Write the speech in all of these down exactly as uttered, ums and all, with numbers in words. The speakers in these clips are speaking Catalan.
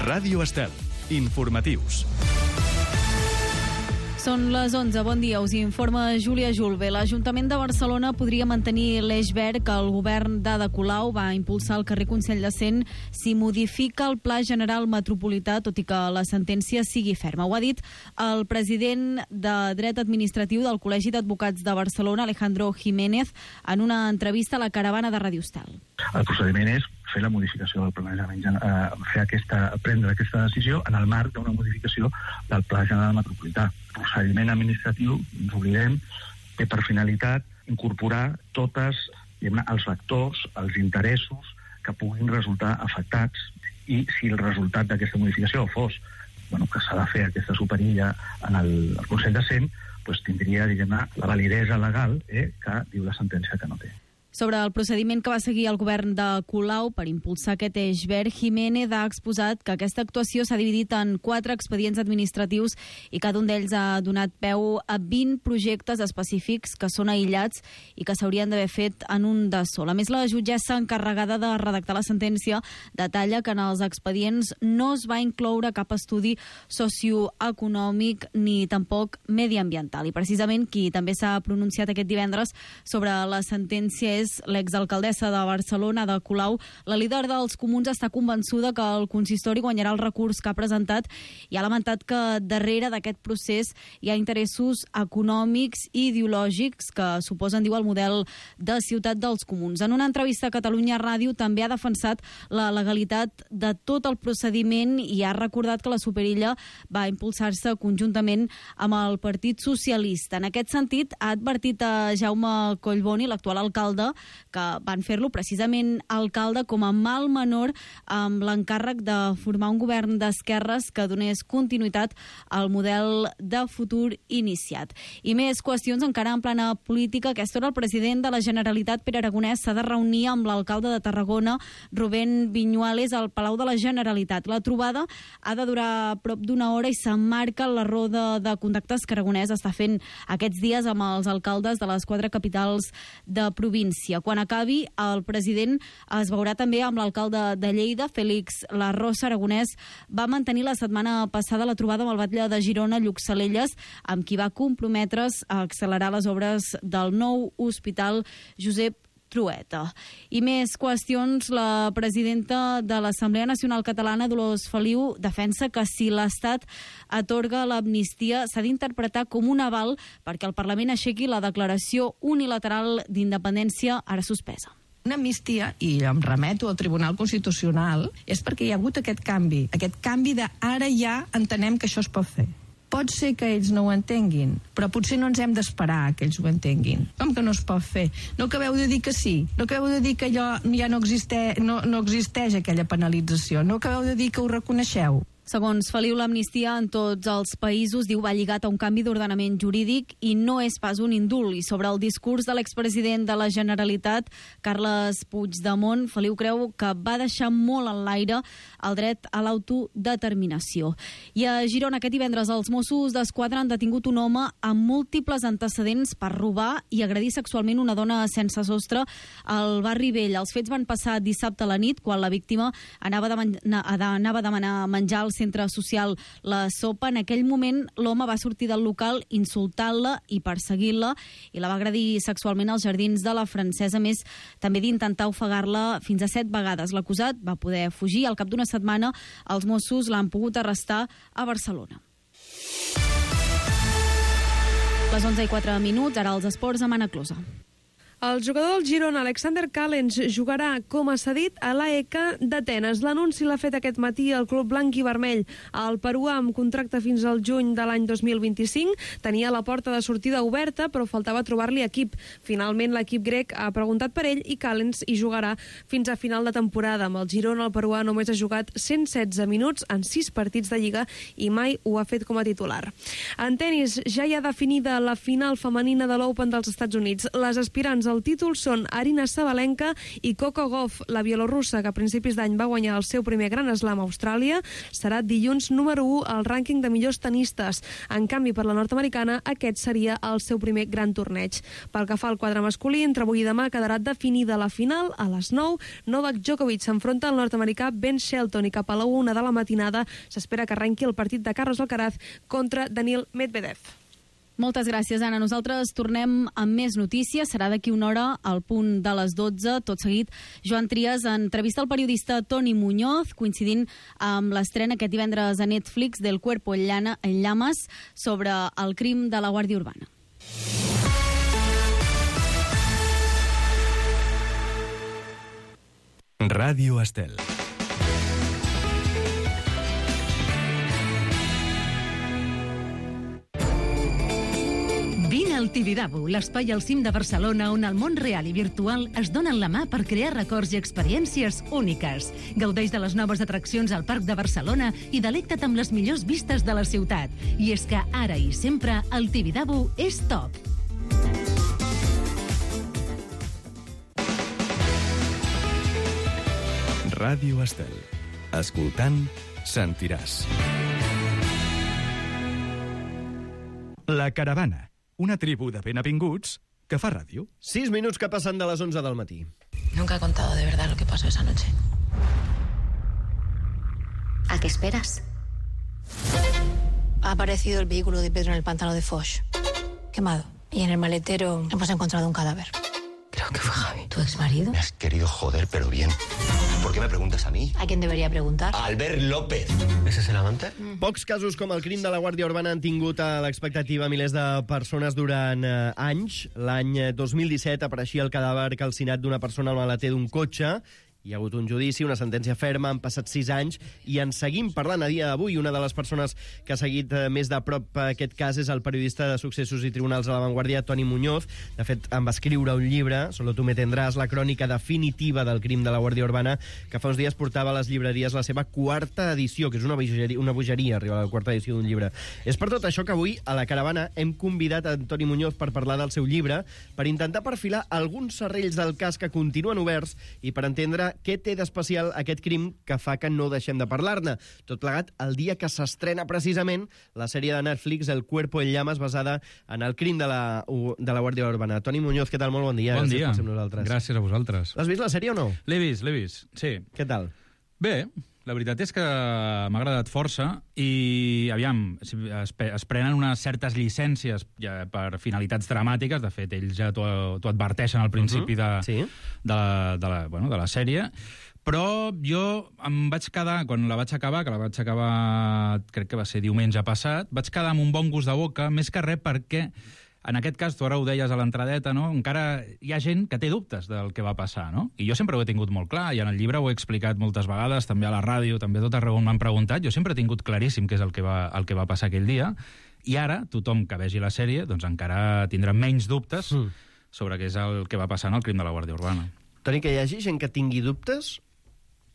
Ràdio Estel. Informatius. Són les onze. Bon dia, us informa Júlia Julve. L'Ajuntament de Barcelona podria mantenir l'eix verd que el govern d'Ada Colau va impulsar al carrer Consell de Cent si modifica el Pla General Metropolità, tot i que la sentència sigui ferma. Ho ha dit el president de Dret Administratiu del Col·legi d'Advocats de Barcelona, Alejandro Jiménez, en una entrevista a la Caravana de Ràdio Estel. El procediment és fer la modificació del planejament, eh, fer aquesta, prendre aquesta decisió en el marc d'una modificació del Pla General Metropolità. El procediment administratiu, ens oblidem, té per finalitat incorporar totes diguem, els factors, els interessos que puguin resultar afectats, i si el resultat d'aquesta modificació fos bueno, que s'ha de fer aquesta superilla en el, el Consell de Cent, doncs tindria diguem, la validesa legal eh, que diu la sentència que no té. Sobre el procediment que va seguir el govern de Colau per impulsar aquest eix verd, Jiménez ha exposat que aquesta actuació s'ha dividit en quatre expedients administratius i cada un d'ells ha donat peu a vint projectes específics que són aïllats i que s'haurien d'haver fet en un de sol. A més, la jutgessa encarregada de redactar la sentència detalla que en els expedients no es va incloure cap estudi socioeconòmic ni tampoc mediambiental. I precisament qui també s'ha pronunciat aquest divendres sobre la sentència és l'exalcaldessa de Barcelona, Ada Colau. La líder dels comuns està convençuda que el consistori guanyarà el recurs que ha presentat i ha lamentat que darrere d'aquest procés hi ha interessos econòmics i ideològics que suposen, diu, el model de ciutat dels comuns. En una entrevista a Catalunya Ràdio també ha defensat la legalitat de tot el procediment i ha recordat que la superilla va impulsar-se conjuntament amb el Partit Socialista. En aquest sentit, ha advertit a Jaume Collboni, l'actual alcalde, que van fer-lo precisament alcalde com a mal menor amb l'encàrrec de formar un govern d'esquerres que donés continuïtat al model de futur iniciat. I més qüestions encara en plana política. A aquesta hora el president de la Generalitat, Pere Aragonès, s'ha de reunir amb l'alcalde de Tarragona, Rubén Viñuales, al Palau de la Generalitat. La trobada ha de durar prop d'una hora i s'emmarca la roda de contactes que Aragonès està fent aquests dies amb els alcaldes de les quatre capitals de província. Quan acabi, el president es veurà també amb l'alcalde de Lleida, Félix Larrosa. Aragonès va mantenir la setmana passada la trobada amb el batlle de Girona, Lluc Salelles, amb qui va comprometre's a accelerar les obres del nou hospital Josep Trueta. I més qüestions. La presidenta de l'Assemblea Nacional Catalana, Dolors Feliu, defensa que si l'Estat atorga l'amnistia s'ha d'interpretar com un aval perquè el Parlament aixequi la declaració unilateral d'independència ara suspesa. Una amnistia, i em remeto al Tribunal Constitucional, és perquè hi ha hagut aquest canvi, aquest canvi de ara ja entenem que això es pot fer. Pot ser que ells no ho entenguin, però potser no ens hem d'esperar que ells ho entenguin. Com que no es pot fer? No acabeu de dir que sí, no acabeu de dir que allò ja no existeix, no, no existeix aquella penalització, no acabeu de dir que ho reconeixeu. Segons Feliu, l'amnistia en tots els països, diu, va lligat a un canvi d'ordenament jurídic i no és pas un indult. I sobre el discurs de l'expresident de la Generalitat, Carles Puigdemont, Feliu creu que va deixar molt en l'aire el dret a l'autodeterminació. I a Girona, aquest divendres, els Mossos d'Esquadra han detingut un home amb múltiples antecedents per robar i agredir sexualment una dona sense sostre al barri Vell. Els fets van passar dissabte a la nit, quan la víctima anava, de man- anava a demanar menjar al centre social La Sopa. En aquell moment l'home va sortir del local insultant-la i perseguint-la i la va agredir sexualment als jardins de la Francesa, a més també d'intentar ofegar-la fins a set vegades. L'acusat va poder fugir. Al cap d'una setmana els Mossos l'han pogut arrestar a Barcelona. Les onze i quatre minuts, ara els esports amb Anna Closa. El jugador del Girona, Alexander Callens, jugarà com a cedit a l'A E K d'Atenes. L'anunci l'ha fet aquest matí el club blanc i vermell. El peruà, amb contracte fins al juny de l'any dos mil vint-i-cinc, tenia la porta de sortida oberta, però faltava trobar-li equip. Finalment, l'equip grec ha preguntat per ell i Callens hi jugarà fins a final de temporada. Amb el Girona, el peruà només ha jugat cent setze minuts en sis partits de Lliga i mai ho ha fet com a titular. En tenis, ja hi ha definida la final femenina de l'Open dels Estats Units. Les aspirants al títol són Arina Sabalenka i Coco Gauff. La bielorussa, que a principis d'any va guanyar el seu primer Gran Slam a Austràlia, serà dilluns número u al rànquing de millors tenistes. En canvi, per la nord-americana, aquest seria el seu primer gran torneig. Pel que fa al quadre masculí, entre avui i demà quedarà definida la final. A les nou, Novak Djokovic s'enfronta al nord-americà Ben Shelton i cap a la una de la matinada s'espera que arrenqui el partit de Carlos Alcaraz contra Daniil Medvedev. Moltes gràcies, Anna. Nosaltres tornem amb més notícies. Serà d'aquí una hora al punt de les dotze. Tot seguit, Joan Trias entrevista el periodista Toni Muñoz, coincidint amb l'estrena aquest divendres a Netflix del Cuerpo en Llamas sobre el crim de la Guàrdia Urbana. Ràdio Estel. Vine al Tibidabo, l'espai al cim de Barcelona on el món real i virtual es donen la mà per crear records i experiències úniques. Gaudeix de les noves atraccions al Parc de Barcelona i delecta't amb les millors vistes de la ciutat. I és que ara i sempre el Tibidabo és top. Ràdio Estel. Escoltant, sentiràs. La Caravana, una tribu de benavinguts que fa ràdio. Sis minuts que passen de les onze del matí. Nunca he contado de verdad lo que pasó esa noche. ¿A qué esperas? Ha aparecido el vehículo de Pedro en el pantano de Foix, quemado. Y en el maletero hemos encontrado un cadáver. Creo que fue Javi. ¿Tu exmarido? Me has querido joder, pero bien. ¿Por qué me preguntas a mí? ¿A quién debería preguntar? A Albert López. ¿Ese es el amante? Mm. Pocs casos com el crim de la Guàrdia Urbana han tingut a l'expectativa milers de persones durant eh, anys. L'any dos mil disset apareixia el cadàver calcinat d'una persona al maleter d'un cotxe. Hi ha hagut un judici, una sentència ferma, han passat sis anys i en seguim parlant a dia d'avui. Una de les persones que ha seguit eh, més de prop aquest cas és el periodista de Successos i Tribunals a La Vanguardia, Toni Muñoz. De fet, en va escriure un llibre, Solo tú me tendrás, la crònica definitiva del crim de la Guàrdia Urbana, que fa uns dies portava a les llibreries la seva quarta edició, que és una bogeria, una bogeria arribar a la quarta edició d'un llibre. És per tot això que avui, a la Caravana, hem convidat a Toni Muñoz per parlar del seu llibre, per intentar perfilar alguns serrells del cas que continuen oberts i per entendre què té d'especial aquest crim que fa que no deixem de parlar-ne. Tot plegat el dia que s'estrena precisament la sèrie de Netflix El Cuerpo en Llamas, basada en el crim de la, de la Guàrdia Urbana. Toni Muñoz, què tal? Molt bon dia. Bon dia. Gràcies, Gràcies a vosaltres. L'has vist la sèrie o no? L'he vist, l'he vist, sí. Què tal? Bé, la veritat és que m'ha agradat força i, aviam, es, es prenen unes certes llicències ja, per finalitats dramàtiques. De fet, ells ja t'ho adverteixen al principi de, uh -huh. sí. de, la, de, la, bueno, de la sèrie. Però jo em vaig quedar, quan la vaig acabar, que la vaig acabar, crec que va ser diumenge passat, vaig quedar amb un bon gust de boca, més que res perquè, en aquest cas, tu ara ho deies a l'entradeta, no? Encara hi ha gent que té dubtes del que va passar, no? I jo sempre ho he tingut molt clar, i en el llibre ho he explicat moltes vegades, també a la ràdio, també tot arreu on m'han preguntat. Jo sempre he tingut claríssim què és el que va, el que va passar aquell dia, i ara tothom que vegi la sèrie doncs encara tindrà menys dubtes mm. sobre què és el que va passar en el crim de la Guàrdia Urbana. Toni, que hi hagi gent que tingui dubtes,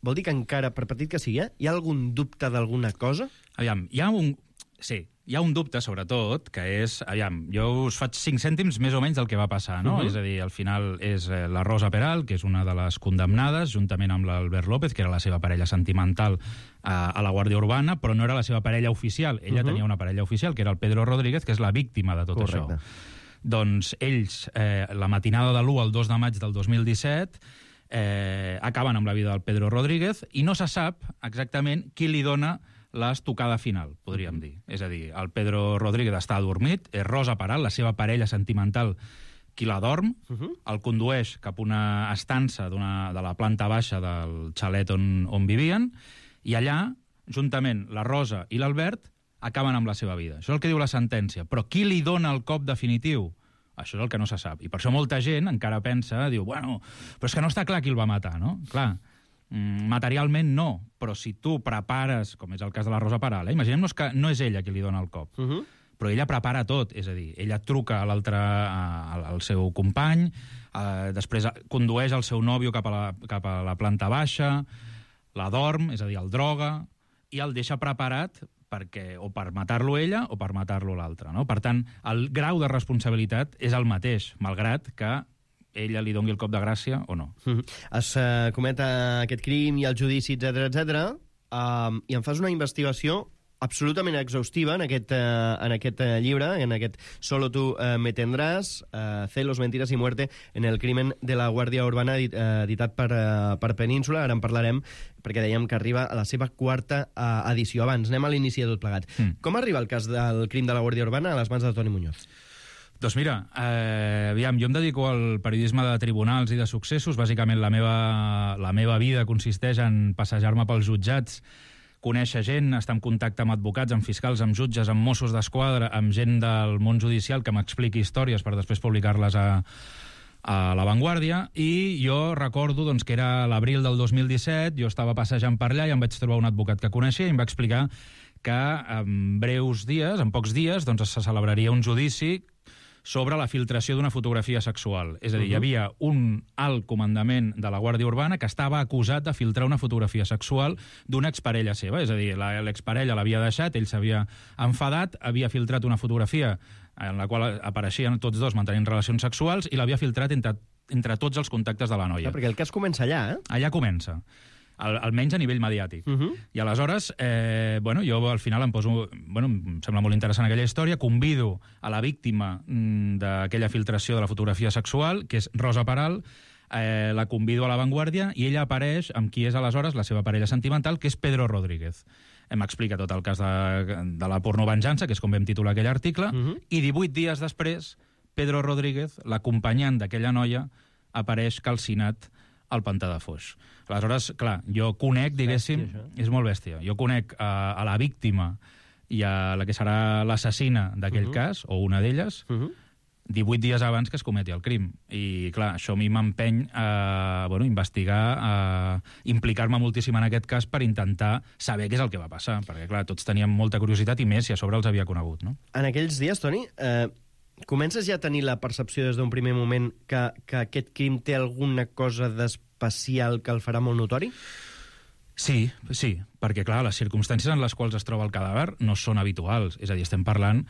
vol dir que encara, per petit que sigui, eh, hi ha algun dubte d'alguna cosa? Aviam, hi ha un... Sí, hi ha un dubte, sobretot, que és... Aviam, jo us faig cinc cèntims més o menys del que va passar, no? Uh -huh. És a dir, al final és eh, la Rosa Peral, que és una de les condemnades, juntament amb l'Albert López, que era la seva parella sentimental eh, a la Guàrdia Urbana, però no era la seva parella oficial. Ella uh -huh. tenia una parella oficial, que era el Pedro Rodríguez, que és la víctima de tot Correcte. Això. Doncs ells, eh, la matinada de l'u al dos de maig del dos mil disset, eh, acaben amb la vida del Pedro Rodríguez i no se sap exactament qui li dona l'estocada final, podríem dir. És a dir, el Pedro Rodríguez està adormit, és Rosa Peral, la seva parella sentimental, qui la dorm, uh -huh. el condueix cap a una estança de la planta baixa del xalet on, on vivien, i allà, juntament la Rosa i l'Albert, acaben amb la seva vida. Això és el que diu la sentència. Però qui li dona el cop definitiu? Això és el que no se sap. I per això molta gent encara pensa, diu, bueno, però és que no està clar qui el va matar, no? Clar, materialment no, però si tu prepares, com és el cas de la Rosa Peral, eh? Imaginem-nos que no és ella qui li dona el cop, uh -huh. però ella prepara tot, és a dir, ella truca a l'altre, al seu company, eh, després condueix el seu nòvio cap a, la, cap a la planta baixa, la dorm, és a dir, el droga, i el deixa preparat perquè, o per matar-lo ella o per matar-lo l'altre, no? Per tant, el grau de responsabilitat és el mateix, malgrat que ella li doni el cop de gràcia o no. Mm-hmm. Es uh, cometa aquest crim i el judici, etcètera, etcètera, um, i en fas una investigació absolutament exhaustiva en aquest, uh, en aquest uh, llibre, en aquest Solo tú uh, me tendrás, uh, Celos, mentiras y muerte en el crimen de la Guàrdia Urbana, edit, uh, editat per, uh, per Península. Ara en parlarem, perquè dèiem que arriba a la seva quarta uh, edició. Abans, anem a l'inici de tot plegat. Mm. Com arriba el cas del crim de la Guàrdia Urbana a les mans de Toni Muñoz? Doncs mira, eh, aviam, jo em dedico al periodisme de tribunals i de successos. Bàsicament la meva, la meva vida consisteix en passejar-me pels jutjats, conèixer gent, estar en contacte amb advocats, amb fiscals, amb jutges, amb Mossos d'Esquadra, amb gent del món judicial que m'expliqui històries per després publicar-les a, a La Vanguardia. I jo recordo doncs, que era l'abril del dos mil disset, jo estava passejant per allà i em vaig trobar un advocat que coneixia i em va explicar que en breus dies, en pocs dies, doncs, se celebraria un judici sobre la filtració d'una fotografia sexual. És a dir, uh-huh. hi havia un alt comandament de la Guàrdia Urbana que estava acusat de filtrar una fotografia sexual d'una exparella seva. És a dir, l'exparella l'havia deixat, ell s'havia enfadat, havia filtrat una fotografia en la qual apareixien tots dos mantenint relacions sexuals i l'havia filtrat entre, entre tots els contactes de la noia. Ja, perquè el cas comença allà, eh? Allà comença. Al, almenys a nivell mediàtic. Uh-huh. I aleshores, eh, bueno, jo al final em poso... Bueno, em sembla molt interessant aquella història, convido a la víctima mm, d'aquella filtració de la fotografia sexual, que és Rosa Peral, eh, la convido a La Vanguardia i ella apareix amb qui és aleshores la seva parella sentimental, que és Pedro Rodríguez. Em explica tot el cas de, de la pornovenjança, que és com vam titular aquell article, uh-huh. i divuit dies després, Pedro Rodríguez, l'acompanyant d'aquella noia, apareix calcinat al pantà de Foix. Aleshores, clar, jo conec, diguéssim... Bèstia, és molt bèstia. Jo conec a, a la víctima i a la que serà l'assassina d'aquell uh-huh. cas, o una d'elles, uh-huh. divuit dies abans que es cometi el crim. I, clar, això a mi m'empeny a bueno, investigar, a implicar-me moltíssim en aquest cas per intentar saber què és el que va passar, perquè, clar, tots teníem molta curiositat i més si a sobre els havia conegut, no? En aquells dies, Toni, eh, comences ja a tenir la percepció des d'un primer moment que, que aquest crim té alguna cosa d'especial que el farà molt notori? Sí, sí, perquè, clar, les circumstàncies en les quals es troba el cadàver no són habituals. És a dir, estem parlant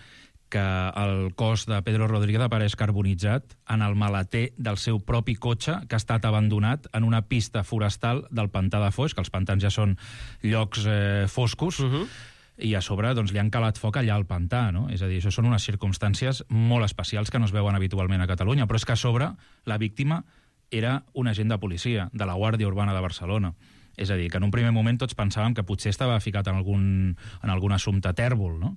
que el cos de Pedro Rodríguez apareix carbonitzat en el maleter del seu propi cotxe que ha estat abandonat en una pista forestal del pantà de Foix, que els pantans ja són llocs eh, foscos, uh-huh. i a sobre doncs, li han calat foc allà al pantà, no? És a dir, això són unes circumstàncies molt especials que no es veuen habitualment a Catalunya, però és que a sobre la víctima era un agent de policia de la Guàrdia Urbana de Barcelona. És a dir, que en un primer moment tots pensàvem que potser estava ficat en algun, en algun assumpte tèrbol, no?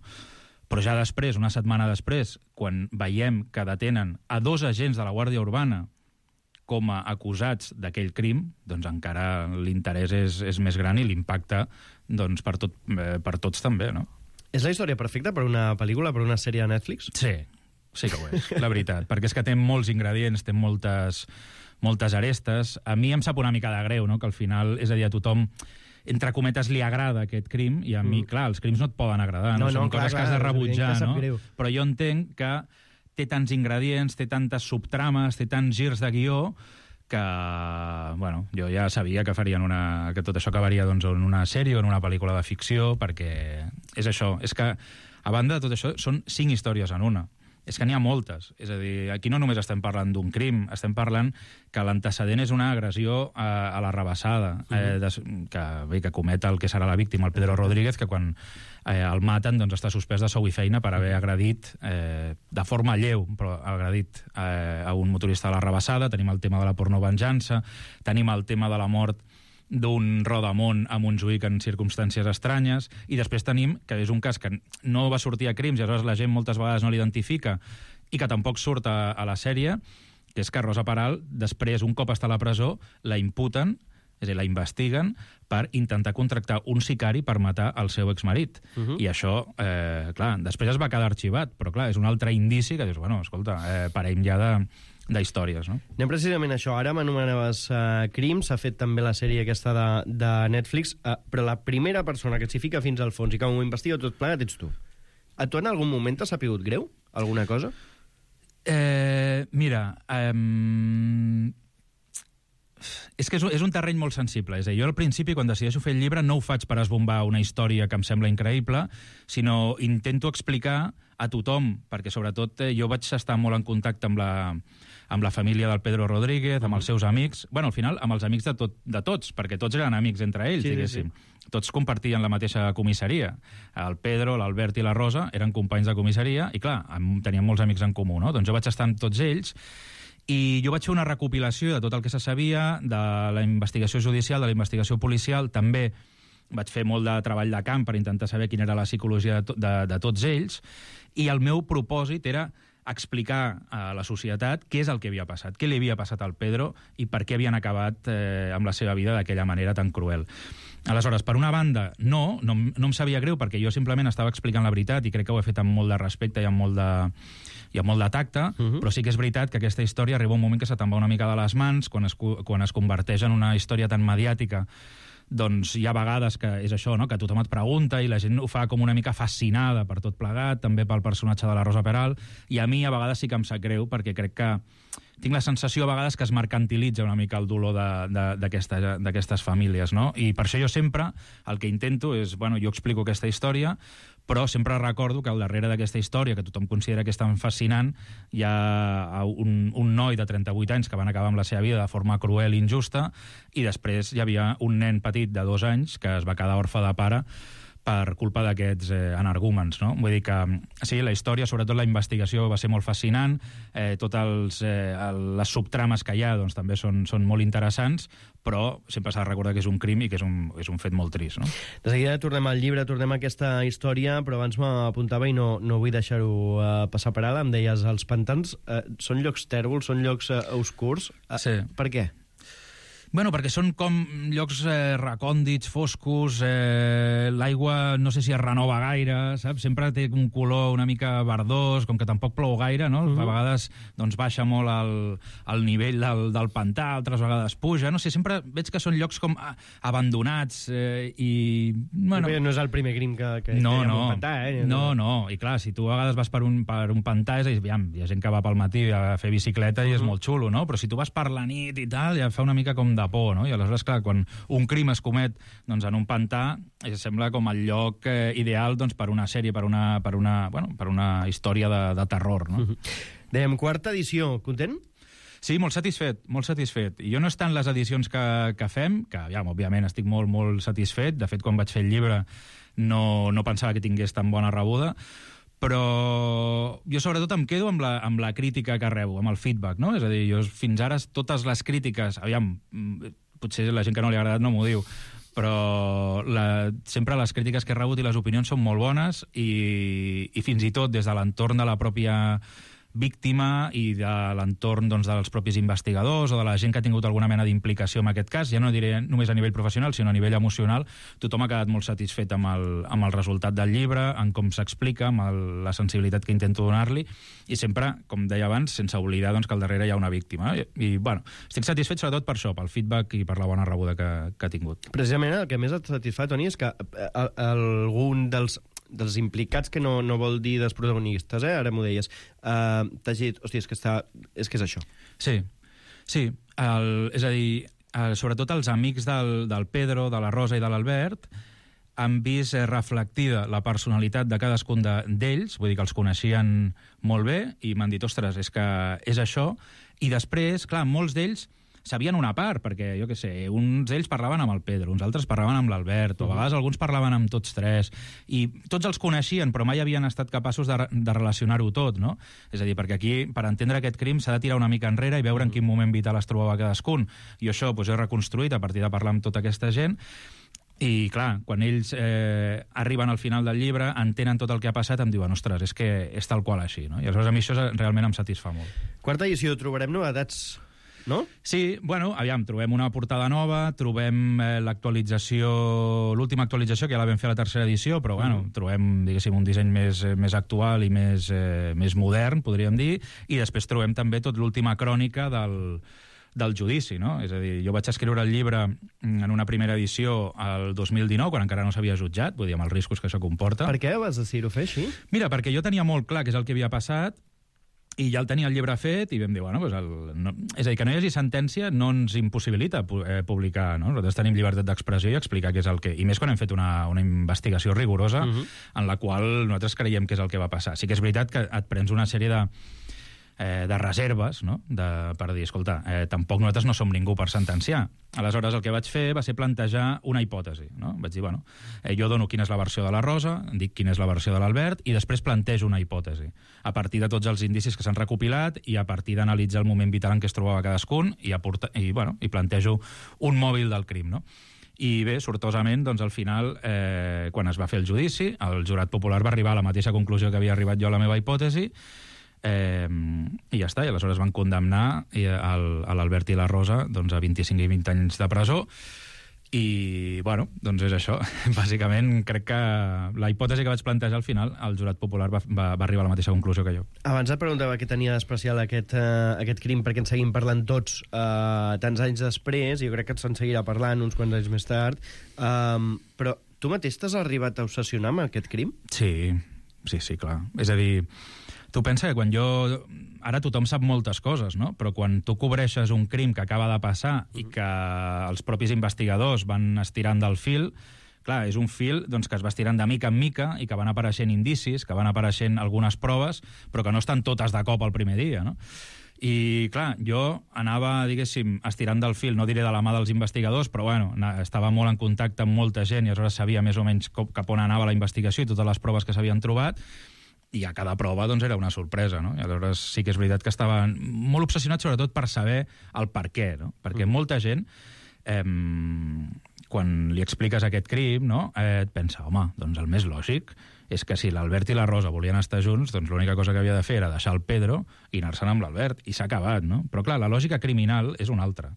Però ja després, una setmana després, quan veiem que detenen a dos agents de la Guàrdia Urbana com a acusats d'aquell crim, doncs encara l'interès és, és més gran i l'impacte doncs, per, tot, eh, per tots també, no? És la història perfecta per una pel·lícula, per una sèrie de Netflix? Sí, sí que ho és, la veritat, perquè és que té molts ingredients, té moltes, moltes arestes. A mi em sap una mica de greu, no?, que al final, és a dir, a tothom, entre cometes, li agrada aquest crim, i a mi, mm. clar, els crims no et poden agradar, no? no Són no, coses clar, que has de rebutjar, no? Greu. Però jo entenc que té tants ingredients, té tantes subtrames, té tants girs de guió, que, bueno, jo ja sabia que farien una... que tot això acabaria doncs, en una sèrie o en una pel·lícula de ficció, perquè és això, és que, a banda de tot això, són cinc històries en una. És que n'hi ha moltes. És a dir, aquí no només estem parlant d'un crim, estem parlant que l'antecedent és una agressió a, a la rebassada, uh-huh. eh, des, que, bé, que comet el que serà la víctima, el Pedro Rodríguez, que quan eh, el maten doncs, està suspès de sou i feina per haver agredit, eh, de forma lleu, però agredit eh, a un motorista a la rebassada. Tenim el tema de la pornovenjança, tenim el tema de la mort d'un rodamont a Montjuïc en circumstàncies estranyes, i després tenim que és un cas que no va sortir a crims i aleshores la gent moltes vegades no l'identifica i que tampoc surt a, a la sèrie, que és que Rosa Peral, després, un cop està a la presó, la imputen, és a dir, la investiguen per intentar contractar un sicari per matar el seu exmarit. Uh-huh. I això, eh, clar, després es va quedar arxivat, però clar, és un altre indici que dius, bueno, escolta, eh, parem ja de d'històries, no? Anem precisament a això. Ara m'anomenaves uh, Crims, s'ha fet també la sèrie aquesta de, de Netflix, uh, però la primera persona que s'hi fica fins al fons i que ho investiga tot plegat ets tu. A tu en algun moment t'ha sapigut greu? Alguna cosa? Eh, mira, um, És que és, és un terreny molt sensible. És a dir, jo al principi, quan decideixo fer el llibre, no ho faig per esbombar una història que em sembla increïble, sinó intento explicar a tothom, perquè sobretot eh, jo vaig estar molt en contacte amb la, amb la família del Pedro Rodríguez, amb els seus amics, bueno, al final amb els amics de, tot, de tots, perquè tots eren amics entre ells, sí, diguéssim. Sí, sí. Tots compartien la mateixa comissaria. El Pedro, l'Albert i la Rosa eren companys de comissaria i, clar, tenien molts amics en comú, no? Doncs jo vaig estar amb tots ells i jo vaig fer una recopilació de tot el que se sabia, de la investigació judicial, de la investigació policial, també vaig fer molt de treball de camp per intentar saber quina era la psicologia de, to de, de tots ells, i el meu propòsit era explicar a la societat què és el que havia passat, què li havia passat al Pedro i per què havien acabat eh, amb la seva vida d'aquella manera tan cruel. Aleshores, per una banda, no, no, no em sabia greu perquè jo simplement estava explicant la veritat i crec que ho he fet amb molt de respecte i amb molt de, i amb molt de tacte, uh-huh. Però sí que és veritat que aquesta història arriba un moment que se te'n va una mica de les mans quan es, quan es converteix en una història tan mediàtica. Doncs hi ha vegades que és això, no? Que tothom et pregunta i la gent ho fa com una mica fascinada per tot plegat, també pel personatge de la Rosa Peral, i a mi a vegades sí que em sap greu perquè crec que tinc la sensació a vegades que es mercantilitza una mica el dolor d'aquestes famílies, no? I per això jo sempre el que intento és, bueno, jo explico aquesta història, però sempre recordo que al darrere d'aquesta història, que tothom considera que és tan fascinant, hi ha un, un noi de trenta-vuit anys que van acabar amb la seva vida de forma cruel i injusta, i després hi havia un nen petit de dos anys que es va quedar orfe de pare per culpa d'aquests eh, energúmens, no? Vull dir que, sí, la història, sobretot la investigació, va ser molt fascinant, eh, totes eh, les subtrames que hi ha doncs, també són, són molt interessants, però sempre s'ha de recordar que és un crim i que és un, és un fet molt trist, no? De seguida tornem al llibre, tornem a aquesta història, però abans m'apuntava i no, no vull deixar-ho uh, passar per alt, em deies, els pantans uh, són llocs tèrbols, són llocs uh, oscurs? Uh, sí. Per què? Bueno, perquè són com llocs eh, recòndits, foscos, eh, l'aigua no sé si es renova gaire, saps? Sempre té un color una mica verdós, com que tampoc plou gaire, no? Uh-huh. A vegades doncs, baixa molt el, el nivell del, del pantà, altres vegades puja, no sé, sempre veig que són llocs com abandonats eh, i... Bueno, no és el primer crim que, que no, hi ha no, un pantà, eh? No, no, i clar, si tu a vegades vas per un, per un pantà, és a dir, aviam, hi ha gent que va pel matí a fer bicicleta i uh-huh. és molt xulo, no? Però si tu vas per la nit i tal, ja fa una mica com de por, no? I aleshores, clar, quan un crim es comet doncs, en un pantà, eh, sembla com el lloc eh, ideal doncs, per una sèrie, per una, per una, bueno, per una història de, de terror, no? Uh-huh. Dèiem, quarta edició, content? Sí, molt satisfet, molt satisfet. I jo no és tant les edicions que, que fem, que, ja, òbviament, estic molt, molt satisfet. De fet, quan vaig fer el llibre no, no pensava que tingués tan bona rebuda, però jo sobretot em quedo amb la, amb la crítica que rebo, amb el feedback, no? És a dir, jo fins ara totes les crítiques, aviam, potser la gent que no li ha agradat no m'ho diu, però la, sempre les crítiques que he rebut i les opinions són molt bones i, i fins i tot des de l'entorn de la pròpia víctima i de l'entorn doncs, dels propis investigadors o de la gent que ha tingut alguna mena d'implicació en aquest cas, ja no diré només a nivell professional, sinó a nivell emocional, tothom ha quedat molt satisfet amb el, amb el resultat del llibre, en com s'explica, amb el, la sensibilitat que intento donar-li, i sempre, com deia abans, sense oblidar doncs, que al darrere hi ha una víctima. I, i bueno, estic satisfet sobretot per això, pel feedback i per la bona rebuda que, que ha tingut. Precisament el que més et satisfà, Toni, és que algun dels dels implicats, que no, no vol dir dels protagonistes, eh? Ara m'ho deies, uh, t'has dit, hòstia, és que, està, és que és això. Sí, sí, el, és a dir, el, sobretot els amics del, del Pedro, de la Rosa i de l'Albert han vist reflectida la personalitat de cadascun d'ells, vull dir que els coneixien molt bé, i m'han dit, ostres, és que és això, i després, clar, molts d'ells sabien una part, perquè, jo què sé, uns d'ells parlaven amb el Pedro, uns altres parlaven amb l'Albert, o a vegades alguns parlaven amb tots tres, i tots els coneixien, però mai havien estat capaços de, de relacionar-ho tot, no? És a dir, perquè aquí, per entendre aquest crim, s'ha de tirar una mica enrere i veure en quin moment vital es trobava cadascun. I això doncs, he reconstruït a partir de parlar amb tota aquesta gent, i, clar, quan ells eh, arriben al final del llibre, entenen tot el que ha passat, em diuen, ostres, és que és tal qual així, no? I aleshores a mi això realment em satisfà molt. Quarta edició, trobarem novetats, no? Sí, bueno, aviam, trobem una portada nova, trobem eh, l'actualització, l'última actualització, que ja la vam fer a la tercera edició, però, bueno, mm. trobem, diguéssim, un disseny més, més actual i més, eh, més modern, podríem dir, i després trobem també tot l'última crònica del, del judici, no? És a dir, jo vaig escriure el llibre en una primera edició al dos mil dinou, quan encara no s'havia jutjat, vull dir, amb els riscos que això comporta. Per què vas decidir-ho fer així? Mira, perquè jo tenia molt clar què és el que havia passat, I ja el tenia el llibre fet i vam dir, bueno, pues el, no, és a dir, que no hi hagi sentència no ens impossibilita eh, publicar, no? Nosaltres tenim llibertat d'expressió i explicar què és el que... I més quan hem fet una, una investigació rigorosa uh-huh. en la qual nosaltres creiem què és el que va passar. Sí que és veritat que et prens una sèrie de... Eh, de reserves, no? de, per dir, escolta, eh, tampoc nosaltres no som ningú per sentenciar. Aleshores, el que vaig fer va ser plantejar una hipòtesi. No? Vaig dir, bueno, eh, jo dono quina és la versió de la Rosa, dic quina és la versió de l'Albert, i després plantejo una hipòtesi. A partir de tots els indicis que s'han recopilat i a partir d'analitzar el moment vital en què es trobava cadascun i, aporta, i, bueno, i plantejo un mòbil del crim, no? I bé, sortosament, doncs, al final, eh, quan es va fer el judici, el jurat popular va arribar a la mateixa conclusió que havia arribat jo a la meva hipòtesi, Eh, i ja està, i aleshores van condemnar a l'Albert i la Rosa doncs, a vint-i-cinc i vint anys de presó i, bueno, doncs és això. Bàsicament, crec que la hipòtesi que vaig plantejar al final, el jurat popular va, va, va arribar a la mateixa conclusió que jo. Abans et preguntava què tenia d'especial aquest, uh, aquest crim, perquè en seguim parlant tots uh, tants anys després, i jo crec que se'n seguirà parlant uns quants anys més tard, um, però tu mateix t'has arribat a obsessionar amb aquest crim? Sí, sí, sí, clar. És a dir, tu pensa que quan jo... Ara tothom sap moltes coses, no? Però quan tu cobreixes un crim que acaba de passar i que els propis investigadors van estirant del fil, clar, és un fil doncs, que es va estirant de mica en mica i que van apareixent indicis, que van apareixent algunes proves, però que no estan totes de cop el primer dia, no? I, clar, jo anava, diguéssim, estirant del fil, no diré de la mà dels investigadors, però, bueno, estava molt en contacte amb molta gent i aleshores sabia més o menys cap on anava la investigació i totes les proves que s'havien trobat, i a cada prova doncs, era una sorpresa, no? I aleshores sí que és veritat que estava molt obsessionat sobretot per saber el per què, no? Perquè molta gent, eh, quan li expliques aquest crim, no? eh, et pensa, home, doncs el més lògic és que si l'Albert i la Rosa volien estar junts, doncs l'única cosa que havia de fer era deixar el Pedro i anar-se'n amb l'Albert, i s'ha acabat, no? Però clar, la lògica criminal és una altra.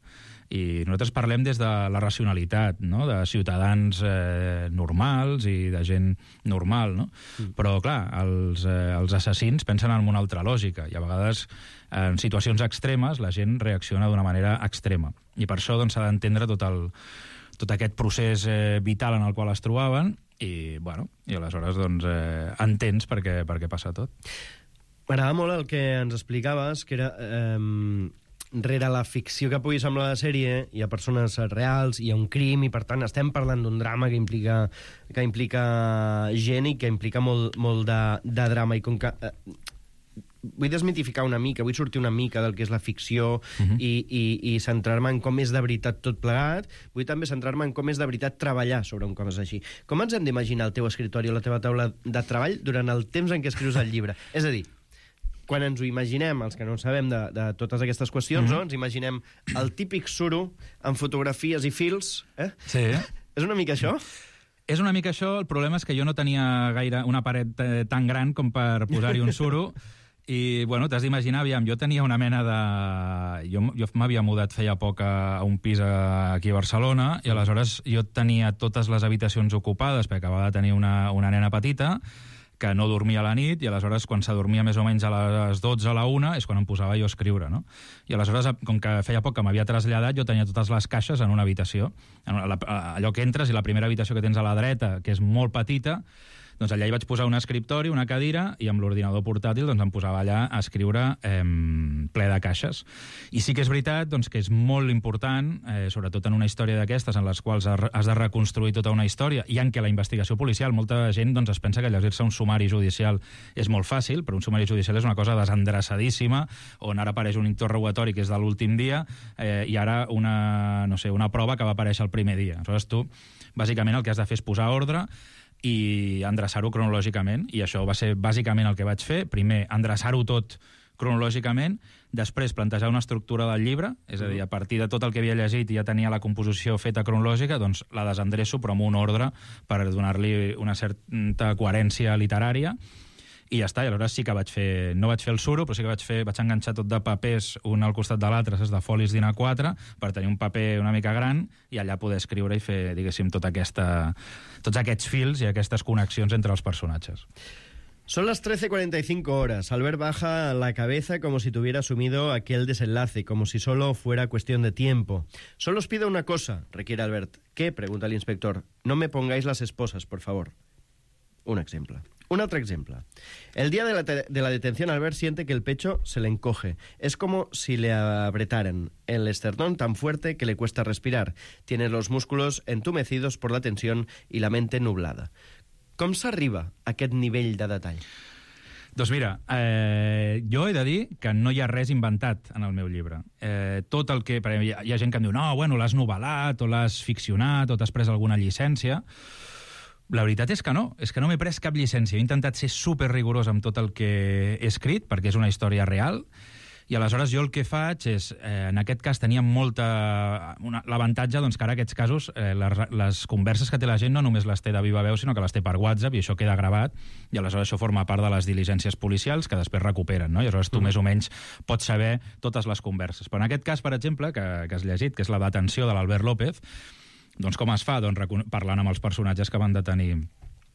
I nosaltres parlem des de la racionalitat, no? De ciutadans eh, normals i de gent normal, no? Mm. Però, clar, els, eh, els assassins pensen en una altra lògica i a vegades en situacions extremes la gent reacciona d'una manera extrema. I per això doncs, s'ha d'entendre tot, el, tot aquest procés eh, vital en el qual es trobaven i, bueno, i aleshores doncs, eh, entens per què, per què passa tot. M'agrada molt el que ens explicaves, que era... Eh, rere la ficció que pugui semblar la sèrie hi ha persones reals, hi ha un crim i per tant estem parlant d'un drama que implica, que implica gent i que implica molt, molt de, de drama i com que eh, vull desmitificar una mica, vull sortir una mica del que és la ficció uh-huh. i, i, i centrar-me en com és de veritat tot plegat, vull també centrar-me en com és de veritat treballar sobre un cos així. Com ens hem d'imaginar el teu escritori o la teva taula de treball durant el temps en què escrius el llibre? És a dir, quan ens ho imaginem, els que no sabem de, de totes aquestes qüestions, mm-hmm. no? Ens imaginem el típic suro amb fotografies i fils, eh? Sí. És una mica això? És una mica això, el problema és que jo no tenia gaire una paret eh, tan gran com per posar-hi un suro, i, bueno, t'has d'imaginar, aviam, jo tenia una mena de... Jo, jo m'havia mudat feia poc a, a un pis a, aquí a Barcelona, i aleshores jo tenia totes les habitacions ocupades, perquè acabava de tenir una, una nena petita, que no dormia a la nit, i aleshores quan s'adormia més o menys a les dotze a la una és quan em posava jo a escriure, no? I aleshores, com que feia poc que m'havia traslladat, jo tenia totes les caixes en una habitació. En una, allò que entres i la primera habitació que tens a la dreta, que és molt petita, doncs allà hi vaig posar un escriptori, una cadira, i amb l'ordinador portàtil doncs em posava allà a escriure eh, ple de caixes. I sí que és veritat doncs, que és molt important, eh, sobretot en una història d'aquestes, en les quals has de reconstruir tota una història, i en què la investigació policial, molta gent doncs, es pensa que llegir-se un sumari judicial és molt fàcil, però un sumari judicial és una cosa desendreçadíssima, on ara apareix un interrogatori que és de l'últim dia, eh, i ara una, no sé, una prova que va aparèixer el primer dia. Aleshores tu, bàsicament, el que has de fer és posar ordre i endreçar-ho cronològicament, i això va ser bàsicament el que vaig fer. Primer, endreçar-ho tot cronològicament, després plantejar una estructura del llibre, és a dir, a partir de tot el que havia llegit i ja tenia la composició feta cronològica, doncs la desendreço però amb un ordre per donar-li una certa coherència literària, i ja està. I aleshores sí que vaig fer... No vaig fer el suro, però sí que vaig fer... Vaig enganxar tot de papers un al costat de l'altre, saps, de folis d'I N A quatre, per tenir un paper una mica gran i allà poder escriure i fer, diguéssim, tota aquesta, tots aquests fils i aquestes connexions entre els personatges. Son las trece cuarenta y cinco horas. Albert baja la cabeza como si tuviera asumido aquel desenlace, como si solo fuera cuestión de tiempo. Solo os pido una cosa, requiere Albert. ¿Qué?, pregunta el inspector. No me pongáis las esposas, por favor. Un exemple. Un otro ejemplo. El día de la, de la detención, Albert siente que el pecho se le encoge. Es como si le apretaran el esternón tan fuerte que le cuesta respirar. Tiene los músculos entumecidos por la tensión y la mente nublada. Com s'arriba a aquest nivell de detall? Doncs mira, eh, jo he de dir que no hi ha res inventat en el meu llibre. Eh, tot el que... Hi ha, hi ha gent que em diu, no, bueno, l'has novel·lat, o l'has ficcionat, o t'has pres alguna llicència. La veritat és que no, és que no m'he pres cap llicència. He intentat ser super rigorós amb tot el que he escrit, perquè és una història real, i aleshores jo el que faig és, eh, en aquest cas tenia molta... L'avantatge, doncs, que ara aquests casos, eh, les, les converses que té la gent no només les té de viva veu, sinó que les té per WhatsApp, i això queda gravat, i aleshores això forma part de les diligències policials que després recuperen, no? I aleshores tu mm. més o menys pots saber totes les converses. Però en aquest cas, per exemple, que, que has llegit, que és la detenció de l'Albert López, doncs com es fa? Doncs parlant amb els personatges que van detenir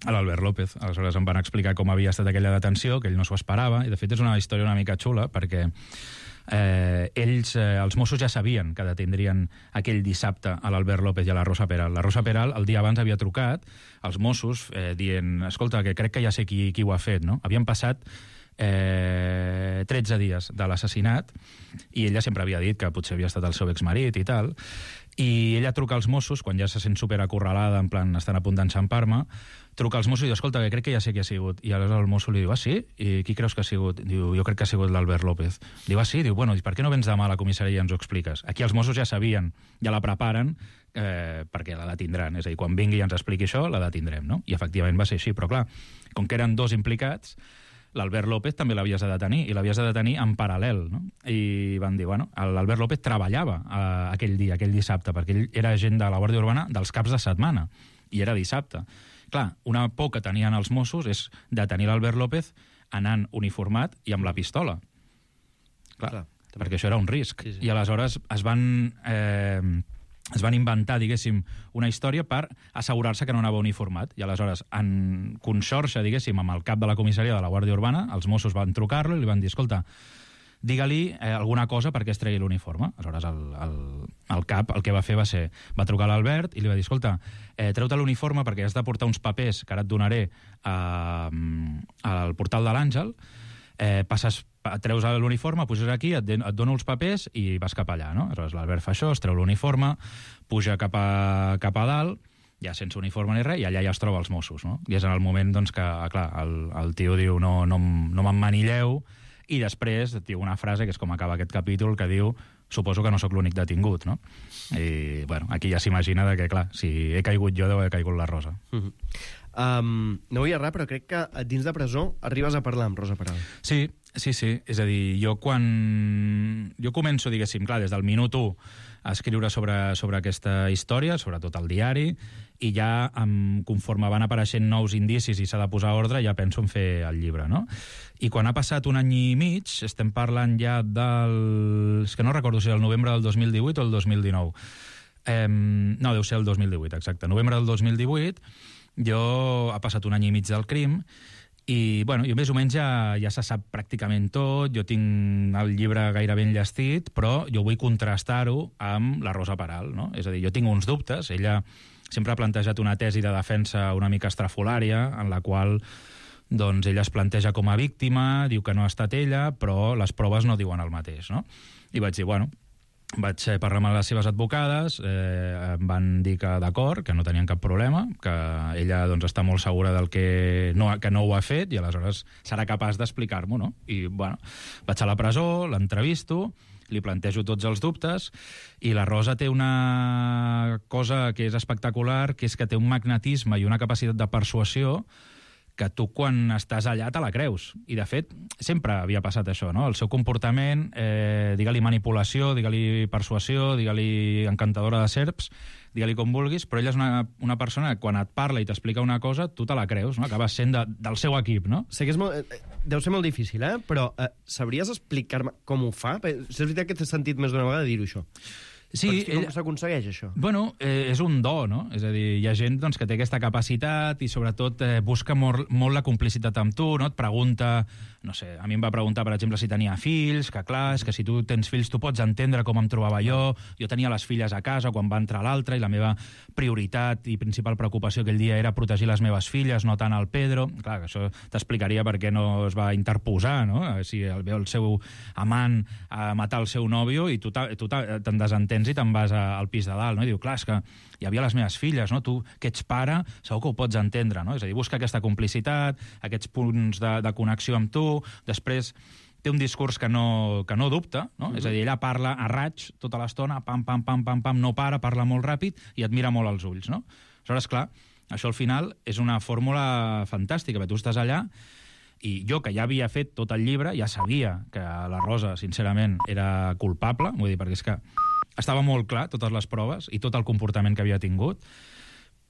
a l'Albert López. Aleshores em van explicar com havia estat aquella detenció, que ell no s'ho esperava, i de fet és una història una mica xula, perquè eh, ells, eh, els Mossos ja sabien que detindrien aquell dissabte a l'Albert López i a la Rosa Peral. La Rosa Peral el dia abans havia trucat als Mossos eh, dient, escolta, que crec que ja sé qui, qui ho ha fet, no? Havien passat eh, tretze dies de l'assassinat i ella sempre havia dit que potser havia estat el seu exmarit i tal, i ella truca als Mossos, quan ja se sent superacorralada, en plan, estan a punt d'enxampar-me, truca als Mossos i diu, escolta, que crec que ja sé qui ha sigut. I aleshores el mosso li diu, ah, sí? I qui creus que ha sigut? Diu, jo crec que ha sigut l'Albert López. Diu, ah, sí? Diu, bueno, i per què no vens demà a la comissaria i ens ho expliques? Aquí els Mossos ja sabien, ja la preparen, eh, perquè la detindran. És a dir, quan vingui i ens expliqui això, la detindrem, no? I efectivament va ser així, però clar, com que eren dos implicats, l'Albert López també l'havies de detenir, i l'havies de detenir en paral·lel, no? I van dir, bueno, l'Albert López treballava eh, aquell dia, aquell dissabte, perquè ell era agent de la Guàrdia Urbana dels caps de setmana, i era dissabte. Clar, una por que tenien els Mossos és detenir l'Albert López anant uniformat i amb la pistola. Clar, Clar perquè això era un risc. Sí, sí. I aleshores es van... Eh, es van inventar, diguéssim, una història per assegurar-se que no anava uniformat. I aleshores, en conxorxa, diguéssim, amb el cap de la comissaria de la Guàrdia Urbana, els Mossos van trucar-lo i li van dir, escolta, digue-li eh, alguna cosa perquè es tregui l'uniforme. Aleshores, el, el, el cap el que va fer va ser, va trucar a l'Albert i li va dir, escolta, eh, treu-te l'uniforme perquè has de portar uns papers que ara et donaré a, al portal de l'Àngel, eh, passes, treus l'uniforme, puges aquí, et, et dono els papers i vas cap allà, no? Aleshores l'Albert fa això, es treu l'uniforme, puja cap a, cap a dalt, ja sense uniforme ni res, i allà ja es troba els Mossos, no? I és en el moment, doncs, que, clar, el, el tio diu, no, no, no m'emmanilleu, i després diu una frase, que és com acaba aquest capítol, que diu, suposo que no sóc l'únic detingut, no? I, bueno, aquí ja s'imagina que, clar, si he caigut jo, deu haver caigut la Rosa. Mm-hmm. Um, no vull errar, però crec que dins de presó arribes a parlar amb Rosa Peral. Sí, sí, sí. És a dir, jo quan... Jo començo, diguéssim, clar, des del minut u a escriure sobre, sobre aquesta història, sobretot al diari, i ja, um, conforme van apareixent nous indicis i s'ha de posar ordre, ja penso en fer el llibre, no? I quan ha passat un any i mig, estem parlant ja del... És que no recordo si era el novembre del dos mil divuit o el dos mil dinou. Eh, no, deu ser el dos mil divuit, exacte. Novembre del dos mil divuit, jo ha passat un any i mig del crim i, bueno, jo més o menys ja, ja se sap pràcticament tot, jo tinc el llibre gairebé enllestit, però jo vull contrastar-ho amb la Rosa Peral, no? És a dir, jo tinc uns dubtes, ella sempre ha plantejat una tesi de defensa una mica estrafolària, en la qual doncs, ella es planteja com a víctima, diu que no ha estat ella, però les proves no diuen el mateix, no? I vaig dir, bueno, vaig parlar amb les seves advocades, eh, em van dir que d'acord, que no tenien cap problema, que ella doncs, està molt segura del que no, que no ho ha fet i aleshores serà capaç d'explicar-m'ho, no? I, bueno, vaig a la presó, l'entrevisto, li plantejo tots els dubtes i la Rosa té una cosa que és espectacular, que és que té un magnetisme i una capacitat de persuasió que tu quan estàs allà te la creus. I, de fet, sempre havia passat això, no? El seu comportament, eh, digue-li manipulació, digue-li persuasió, digue-li encantadora de serps, digue-li com vulguis, però ella és una, una persona que quan et parla i t'explica una cosa, tu te la creus, no? Acabes sent de, del seu equip, no? Sé que és molt, deu ser molt difícil, eh? Però eh, sabries explicar-me com ho fa? És veritat que t'he sentit més d'una vegada dir-ho, això. Sí, com ella... s'aconsegueix, això? Bueno, eh, és un do, no? És a dir, hi ha gent doncs, que té aquesta capacitat i, sobretot, eh, busca molt, molt la complicitat amb tu, no? Et pregunta... No sé, a mi em va preguntar, per exemple, si tenia fills, que clar, és que si tu tens fills tu pots entendre com em trobava jo. Jo tenia les filles a casa quan va entrar l'altra i la meva prioritat i principal preocupació aquell dia era protegir les meves filles, no tant el Pedro. Clar, que això t'explicaria per què no es va interposar, no? Si el veu el seu amant a matar el seu nòvio i tu te'n desentens i te'n vas al pis de dalt, no? I diu, clar, és que hi havia les meves filles, no? Tu, que ets pare, segur que ho pots entendre, no? És a dir, busca aquesta complicitat, aquests punts de, de connexió amb tu, després té un discurs que no, que no dubta, no? Mm-hmm. És a dir, ella parla a raig tota l'estona, pam, pam, pam, pam, pam, no para, parla molt ràpid i et mira molt als ulls, no? Aleshores, clar, això al final és una fórmula fantàstica, perquè tu estàs allà i jo, que ja havia fet tot el llibre, ja sabia que la Rosa, sincerament, era culpable, vull dir, perquè és que estava molt clar, totes les proves i tot el comportament que havia tingut,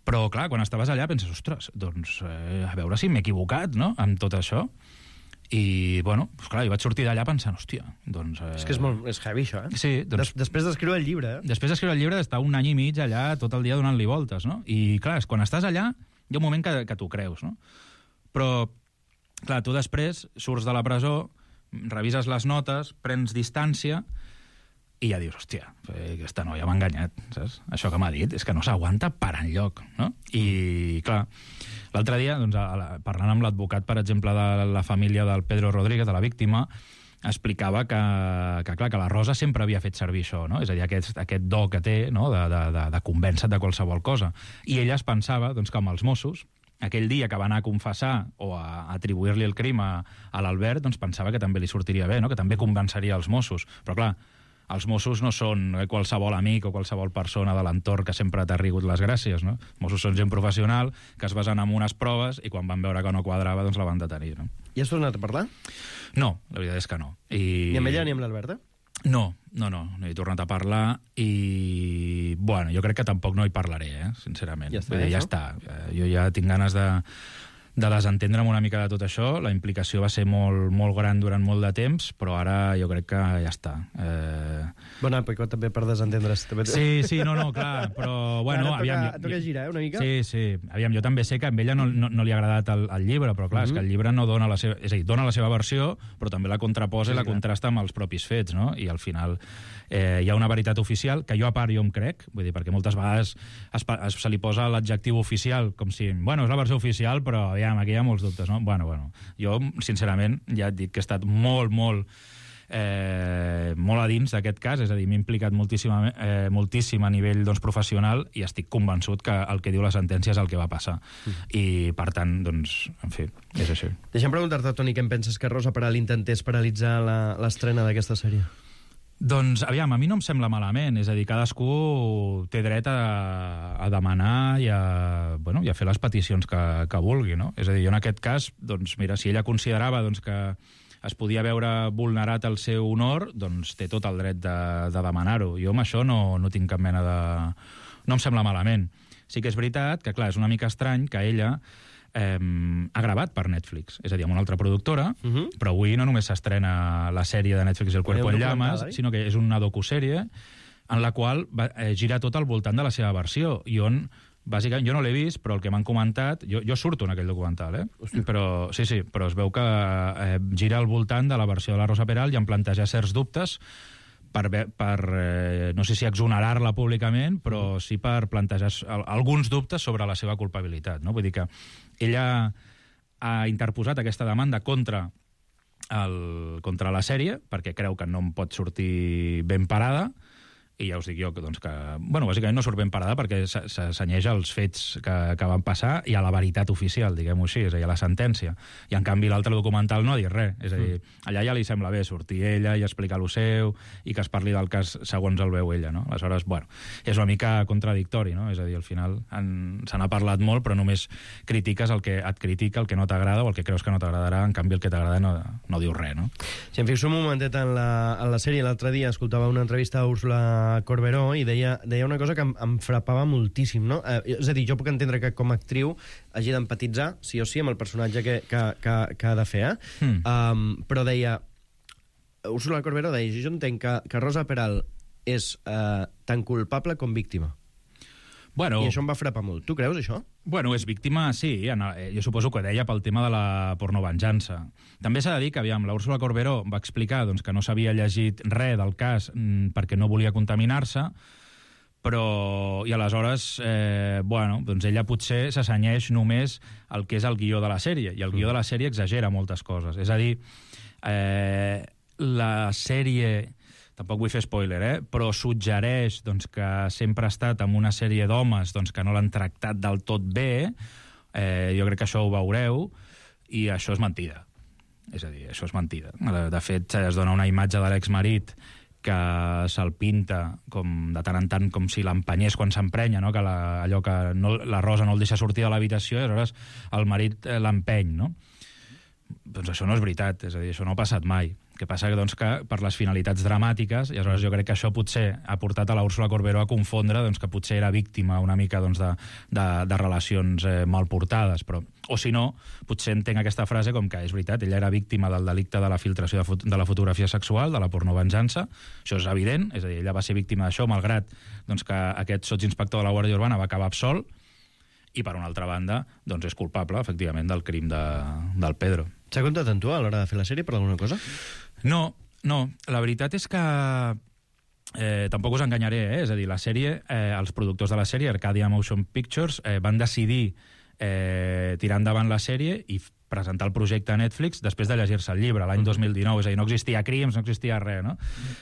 però, clar, quan estaves allà penses, ostres, doncs, eh, a veure si m'he equivocat, no?, amb tot això. I, bueno, pues clar, jo vaig sortir d'allà pensant, hòstia, doncs... Eh... És que és molt és heavy, això, eh? Sí, doncs... Des, després d'escriure el llibre, eh? Després d'escriure el llibre, d'estar un any i mig allà tot el dia donant-li voltes, no? I, clar, quan estàs allà, hi ha un moment que, que t'ho creus, no? Però, clar, tu després surts de la presó, revises les notes, prens distància i ja dius, hòstia, aquesta noia m'ha enganyat, saps? Això que m'ha dit és que no s'aguanta per enlloc, no? I, clar, l'altre dia, doncs, parlant amb l'advocat, per exemple, de la família del Pedro Rodríguez, de la víctima, explicava que, que, clar, que la Rosa sempre havia fet servir això, no? És a dir, aquest, aquest do que té, no?, de, de, de, de convèncer de qualsevol cosa. I ella es pensava, doncs, que amb els Mossos, aquell dia que va anar a confessar o a atribuir-li el crim a, a l'Albert, doncs pensava que també li sortiria bé, no?, que també convenceria els Mossos. Però, clar, els Mossos no són qualsevol amic o qualsevol persona de l'entorn que sempre t'ha rigut les gràcies, no? Els Mossos són gent professional que es basen en unes proves i quan van veure que no quadrava, doncs la van detenir, no? I has tornat a parlar? No, la veritat és que no. I... Ni amb ella ni amb l'Alberta? No, no, no, no he tornat a parlar i, bueno, jo crec que tampoc no hi parlaré, eh, sincerament. Ja està, Vull dir, ja està. Jo ja tinc ganes de... de desentendre'm una mica de tot això. La implicació va ser molt, molt gran durant molt de temps, però ara jo crec que ja està. Eh... Bona època també per desentendre's. També... Sí, sí, no, no, clar, però bueno... Ara aviam, toca, toca girar, eh, una mica? Sí, sí. Aviam, jo també sé que a ella no, no, no li ha agradat el, el llibre, però clar, mm-hmm. és que el llibre no dona la seva... És a dir, dona la seva versió, però també la contraposa sí, i la clar. contrasta amb els propis fets, no? I al final eh, hi ha una veritat oficial que jo a part jo em crec, vull dir, perquè moltes vegades es, es, se li posa l'adjectiu oficial, com si, bueno, és la versió oficial, però ja aquí hi ha molts dubtes, no? Bueno, bueno, jo, sincerament, ja et dic que he estat molt, molt, eh, molt a dins d'aquest cas, és a dir, m'he implicat moltíssim, eh, moltíssim a nivell doncs, professional i estic convençut que el que diu la sentència és el que va passar. Mm. I, per tant, doncs, en fi, és així. Deixa'm preguntar-te, Toni, què em penses que Rosa Peral intentés paralitzar l'estrena d'aquesta sèrie? Doncs, aviam, a mi no em sembla malament, és a dir, cadascú té dret a, a demanar i a, bueno, i a fer les peticions que, que vulgui, no? És a dir, jo en aquest cas, doncs, mira, si ella considerava doncs, que es podia veure vulnerat el seu honor, doncs té tot el dret de, de demanar-ho. Jo amb això no, no tinc cap mena de... No em sembla malament. Sí que és veritat que, clar, és una mica estrany que ella eh, ha gravat per Netflix, és a dir, amb una altra productora, uh-huh. però avui no només s'estrena la sèrie de Netflix El cuerpo en llamas, sinó que és una docusèrie en la qual va, eh, gira tot al voltant de la seva versió, i on, bàsicament, jo no l'he vist, però el que m'han comentat, jo, jo surto en aquell documental, eh? Hosti. Però sí, sí, però es veu que eh, gira al voltant de la versió de la Rosa Peral i en plantejar certs dubtes per, per eh, no sé si exonerar-la públicament, però sí per plantejar alguns dubtes sobre la seva culpabilitat, no? Vull dir que ella ha interposat aquesta demanda contra, el, contra la sèrie, perquè creu que no em pot sortir ben parada, i ja us dic jo que, doncs, que bueno, bàsicament no surt ben parada perquè s'assenyeix als fets que, que van passar i a la veritat oficial, diguem-ho així, és a dir, a la sentència. I, en canvi, l'altre documental no ha dit res. És a dir, allà ja li sembla bé sortir ella i explicar lo seu i que es parli del cas segons el veu ella, no? Aleshores, bueno, és una mica contradictori, no? És a dir, al final se n'ha parlat molt, però només critiques el que et critica, el que no t'agrada o el que creus que no t'agradarà, en canvi el que t'agrada no, no diu res, no? Si em fixo un momentet en la, en la sèrie, l'altre dia escoltava una entrevista a Úrsula Corberó i deia, deia una cosa que em, em frapava moltíssim, no? Eh, és a dir, jo puc entendre que com a actriu hagi d'empatitzar, sí o sí, amb el personatge que, que, que, que ha de fer, eh? Mm. Um, però deia, Úrsula Corberó deia, jo entenc que, que Rosa Peral és eh, tan culpable com víctima. Bueno, I això em va frapar molt. Tu creus, això? Bueno, és víctima, sí. En, jo suposo que deia pel tema de la pornovenjança. També s'ha de dir que, aviam, la Úrsula Corberó va explicar doncs, que no s'havia llegit res del cas mmm, perquè no volia contaminar-se, però... I aleshores, eh, bueno, doncs ella potser s'assenyeix només el que és el guió de la sèrie, i el guió de la sèrie exagera moltes coses. És a dir, eh, la sèrie... Tampoc vull fer spoiler, eh? Però suggereix doncs, que sempre ha estat amb una sèrie d'homes doncs, que no l'han tractat del tot bé. Eh, jo crec que això ho veureu, i això és mentida. És a dir, això és mentida. De fet, es dona una imatge de l'exmarit que se'l pinta com, de tant en tant com si l'empenyés quan s'emprenya, no? Que la, allò que no, la Rosa no el deixa sortir de l'habitació i aleshores el marit eh, l'empeny, no? Doncs això no és veritat, és a dir, això no ha passat mai. El que passa doncs, que per les finalitats dramàtiques, i aleshores jo crec que això potser ha portat a la Úrsula Corberó a confondre doncs, que potser era víctima una mica doncs, de, de, de relacions eh, mal portades, però, o si no, potser entenc aquesta frase com que és veritat, ella era víctima del delicte de la filtració de, de la fotografia sexual, de la pornovenjança, això és evident, és a dir, ella va ser víctima d'això, malgrat doncs, que aquest sotsinspector de la Guàrdia Urbana va acabar absolt, i per una altra banda, doncs és culpable, efectivament, del crim de, del Pedro. S'ha comptat amb tu a l'hora de fer la sèrie per alguna cosa? No, no. La veritat és que eh, tampoc us enganyaré, eh? És a dir, la sèrie, eh, els productors de la sèrie, Arcadia Motion Pictures, eh, van decidir eh, tirar endavant la sèrie i presentar el projecte a Netflix després de llegir-se el llibre, l'any dos mil dinou. És a dir, no existia crims, no existia res, no?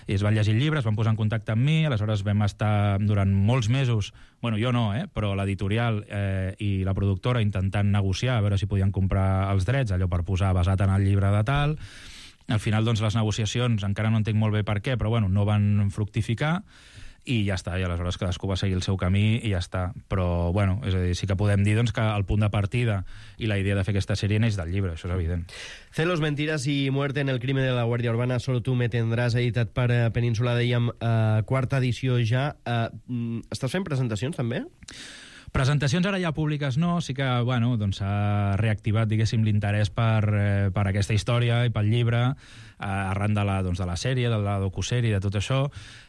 I es van llegir el llibre, es van posar en contacte amb mi, aleshores vam estar durant molts mesos, bueno, jo no, eh? Però l'editorial eh, i la productora intentant negociar, a veure si podien comprar els drets, allò per posar basat en el llibre de tal. Al final, doncs, les negociacions, encara no entenc molt bé per què, però bueno, no van fructificar, i ja està, i aleshores cadascú va seguir el seu camí i ja està. Però, bueno, és a dir, sí que podem dir doncs, que el punt de partida i la idea de fer aquesta sèrie neix del llibre, això és evident. Celos, mentiras y muerte en el crimen de la Guàrdia Urbana, solo tú me tendrás, editat per uh, Península, dèiem, uh, quarta edició ja. Uh, estàs fent presentacions, també? Presentacions ara ja públiques no, sí que bueno, doncs s'ha reactivat diguéssim l'interès per, eh, per aquesta història i pel llibre, eh, arran de la, doncs, de la sèrie, de la docusèrie, de tot això,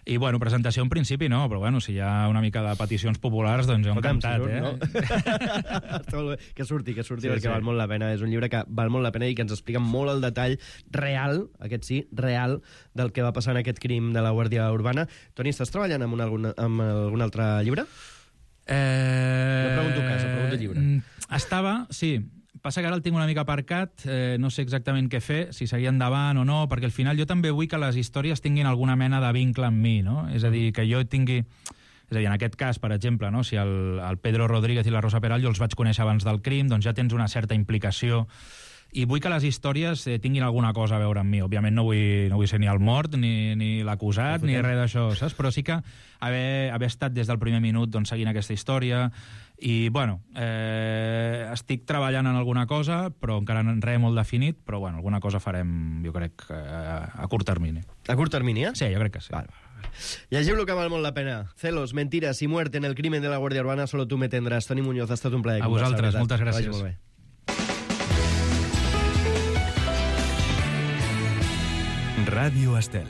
i bueno, presentació en principi no, però bueno, si hi ha una mica de peticions populars, doncs jo encantat, eh? No? que surti, que surti, sí, perquè sí. Val molt la pena, és un llibre que val molt la pena i que ens explica molt el detall real, aquest sí, real, del que va passar en aquest crim de la Guàrdia Urbana. Toni, estàs treballant amb, un, algun, amb algun altre llibre? Eh... No pregunto casa, pregunto llibre. Estava, sí. Passa que ara el tinc una mica aparcat, eh, no sé exactament què fer, si seguir endavant o no, perquè al final jo també vull que les històries tinguin alguna mena de vincle amb mi, no? És a dir, que jo tingui... És a dir, en aquest cas, per exemple, no? Si el, el Pedro Rodríguez i la Rosa Peral jo els vaig conèixer abans del crim, doncs ja tens una certa implicació i vull que les històries eh, tinguin alguna cosa a veure amb mi. Òbviament no vull, no vull ser ni el mort, ni, ni l'acusat, ni res d'això, saps? Però sí que haver, haver estat des del primer minut doncs, seguint aquesta història i, bueno, eh, estic treballant en alguna cosa, però encara res molt definit, però, bueno, alguna cosa farem, jo crec, eh, a curt termini. A curt termini, eh? Sí, jo crec que sí. Val, val. Llegiu-lo que val molt la pena. Celos, mentiras y muerte en el crimen de la Guàrdia Urbana, solo tú me tendrás. Toni Muñoz, ha estat un plaer. A vosaltres, moltes gràcies. Molt bé. Ràdio Estel.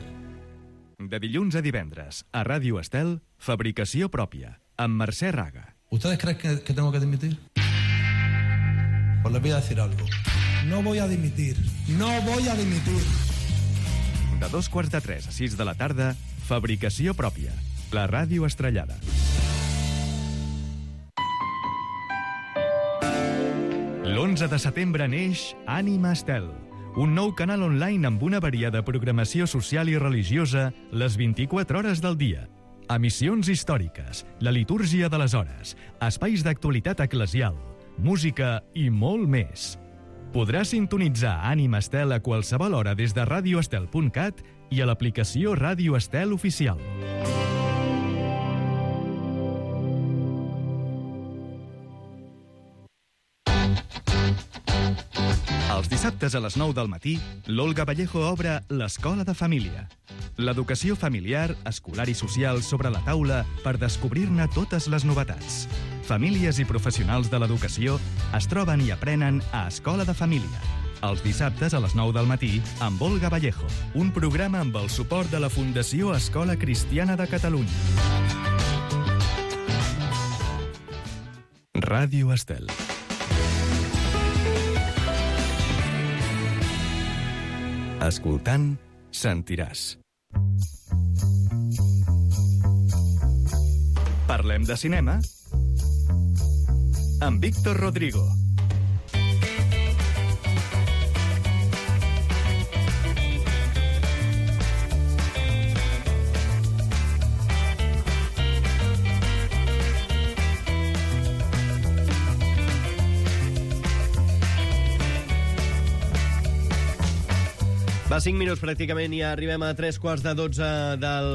De dilluns a divendres, a Ràdio Estel, fabricació pròpia, amb Mercè Raga. ¿Ustedes creen que, que tengo que dimitir? Pues les voy a decir algo. No voy a dimitir. No voy a dimitir. De dos quarts de tres a sis de la tarda, fabricació pròpia, la ràdio estrellada. L'onze de setembre neix Ànima Estel, un nou canal online amb una variada programació social i religiosa les vint-i-quatre hores del dia. Emissions històriques, la litúrgia de les hores, espais d'actualitat eclesial, música i molt més. Podràs sintonitzar Ànima Estel a qualsevol hora des de radioestel punt cat i a l'aplicació Ràdio Estel Oficial. Els dissabtes a les nou del matí, l'Olga Vallejo obre l'Escola de Família. L'educació familiar, escolar i social sobre la taula per descobrir-ne totes les novetats. Famílies i professionals de l'educació es troben i aprenen a Escola de Família. Els dissabtes a les nou del matí amb Olga Vallejo, un programa amb el suport de la Fundació Escola Cristiana de Catalunya. Ràdio Estel. Escoltant, sentiràs. Parlem de cinema amb Víctor Rodrigo. Va, cinc minuts pràcticament i arribem a tres quarts de dotze del,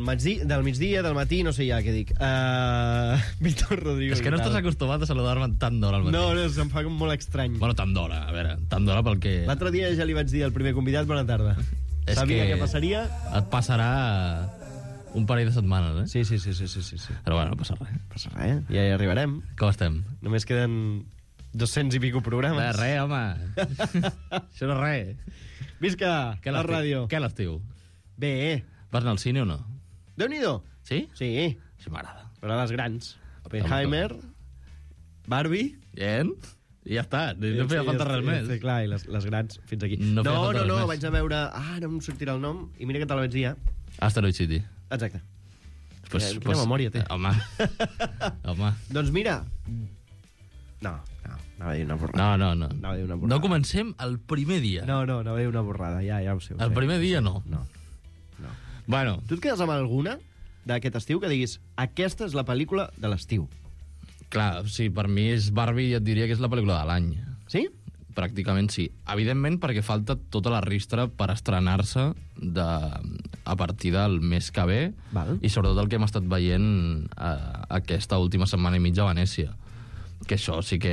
matí, del migdia, del matí, no sé ja què dic. Uh, Víctor Rodrigo. És que no estàs acostumat a saludar-me tan d'hora al matí. No, no, se'm fa molt estrany. Bueno, tan d'hora, a veure, tan d'hora pel que... L'altre dia ja li vaig dir al primer convidat bona tarda. És Sabia que què passaria? Et passarà un parell de setmanes, eh? Sí, sí, sí, sí, sí, sí. Però bueno, no passa res. No passa res, ja hi arribarem. Com estem? Només queden dos-cents i pico programes. De res, home. Això no és res. Visca, la ràdio. Què l'estiu? Bé. Vas anar al cine o no? Déu-n'hi-do. Sí? Sí. Això m'agrada. Però les grans. Oppenheimer, Barbie... Bien. I ja està, no sí, feia falta res més. Sí, clar, i les, les grans fins aquí. No, no, no, no, més. vaig a veure... Ah, no em sortirà el nom, i mira que te la vaig dir ja. Asteroid City. Exacte. Pues, Quina pues, memòria té. Home. Home. Doncs mira... No, no, anava a dir una borrada. No, no, no. Anava a dir una borrada. No comencem el primer dia. No, no, anava a dir una borrada, ja, ja ho sé. Ho el sé. primer dia no. No. no. Bueno. Tu et quedes amb alguna d'aquest estiu que diguis aquesta és la pel·lícula de l'estiu? Clar, sí, per mi és Barbie, et diria que és la pel·lícula de l'any. Sí? Pràcticament sí. Evidentment perquè falta tota la ristra per estrenar-se de, a partir del mes que ve. Val. I sobretot el que hem estat veient eh, aquesta última setmana i mitja a Venècia. Que això sí que...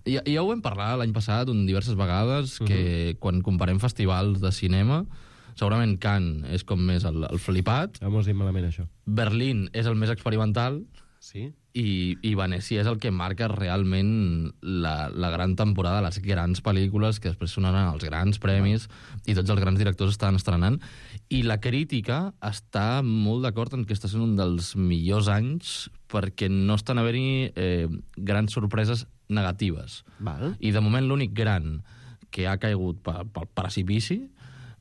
Ja, ja ho vam parlar l'any passat diverses vegades, que uh-huh. quan comparem festivals de cinema, segurament Cannes és com més el, el flipat. Ja m'ho has dit malament, això. Berlín és el més experimental. Sí. I, i Venècia és el que marca realment la, la gran temporada, les grans pel·lícules que després sonaran els grans premis i tots els grans directors estan estrenant. I la crítica està molt d'acord en que està sent un dels millors anys perquè no estan haver-hi eh, grans sorpreses negatives. Val. I de moment l'únic gran que ha caigut pel, pel precipici,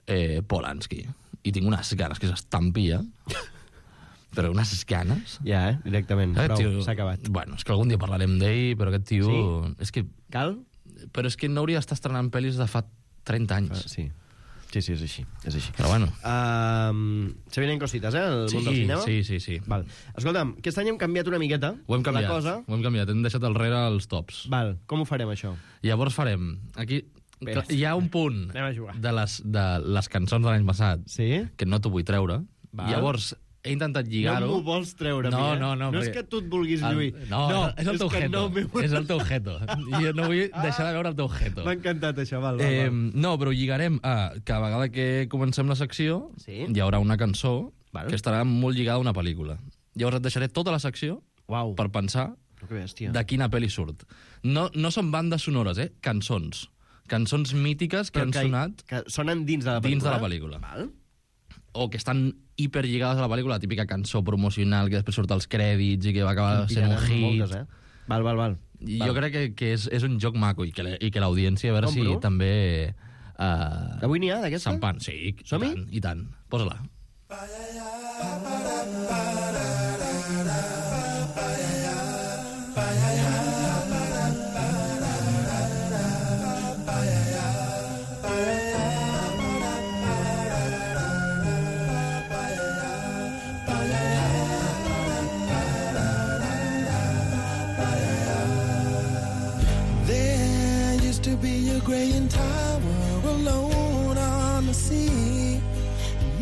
eh, Polanski. I tinc unes ganes que s'estampi ja. Però unes ganes... Ja, eh? Directament. Aquest Prou, s'ha acabat. Bueno, és que algun dia parlarem d'ell, però aquest tio... Sí? És que... Cal? Però és que no hauria d'estar estrenant pel·lis de fa trenta anys. Sí. Sí, sí, és així. És així. Però bueno. Uh, se vienen cosites, eh? El sí, món del cinema. Sí, sí, sí. Val. Escolta'm, aquest any hem canviat una miqueta. Ho hem canviat. La cosa. Ho hem canviat. Hem deixat al rere els tops. Val. Com ho farem, això? Llavors farem... Aquí... Bé, hi ha un punt de les, de les cançons de l'any passat sí? que no t'ho vull treure. Val. Llavors he intentat lligar-ho. No m'ho vols treure, no, mi, eh? No, no, no perquè... és que tu et vulguis el... lluir. No, no, és el teu jeto. No és el teu jeto. Jo no vull deixar de veure el teu jeto. M'ha encantat això, val, val, eh, val. No, però lligarem a que a vegada que comencem la secció sí? hi haurà una cançó val. Que estarà molt lligada a una pel·lícula. Llavors et deixaré tota la secció Uau. Per pensar bèstia. De quina pel·li surt. No, no són bandes sonores, eh? Cançons. Cançons mítiques que però han que, sonat... Que sonen dins de la pel·lícula. Dins de la pel·lícula. Val. O que estan hiperlligades a la pel·lícula, la típica cançó promocional que després surt als crèdits i que va acabar sent un hit. Moltes, eh? Val, val, val. I val. jo crec que, que és, és un joc maco i que, i que l'audiència, a veure Compro. si també... Uh, Avui n'hi ha, d'aquesta? Sampan, sí, i tant, i tant. Posa-la.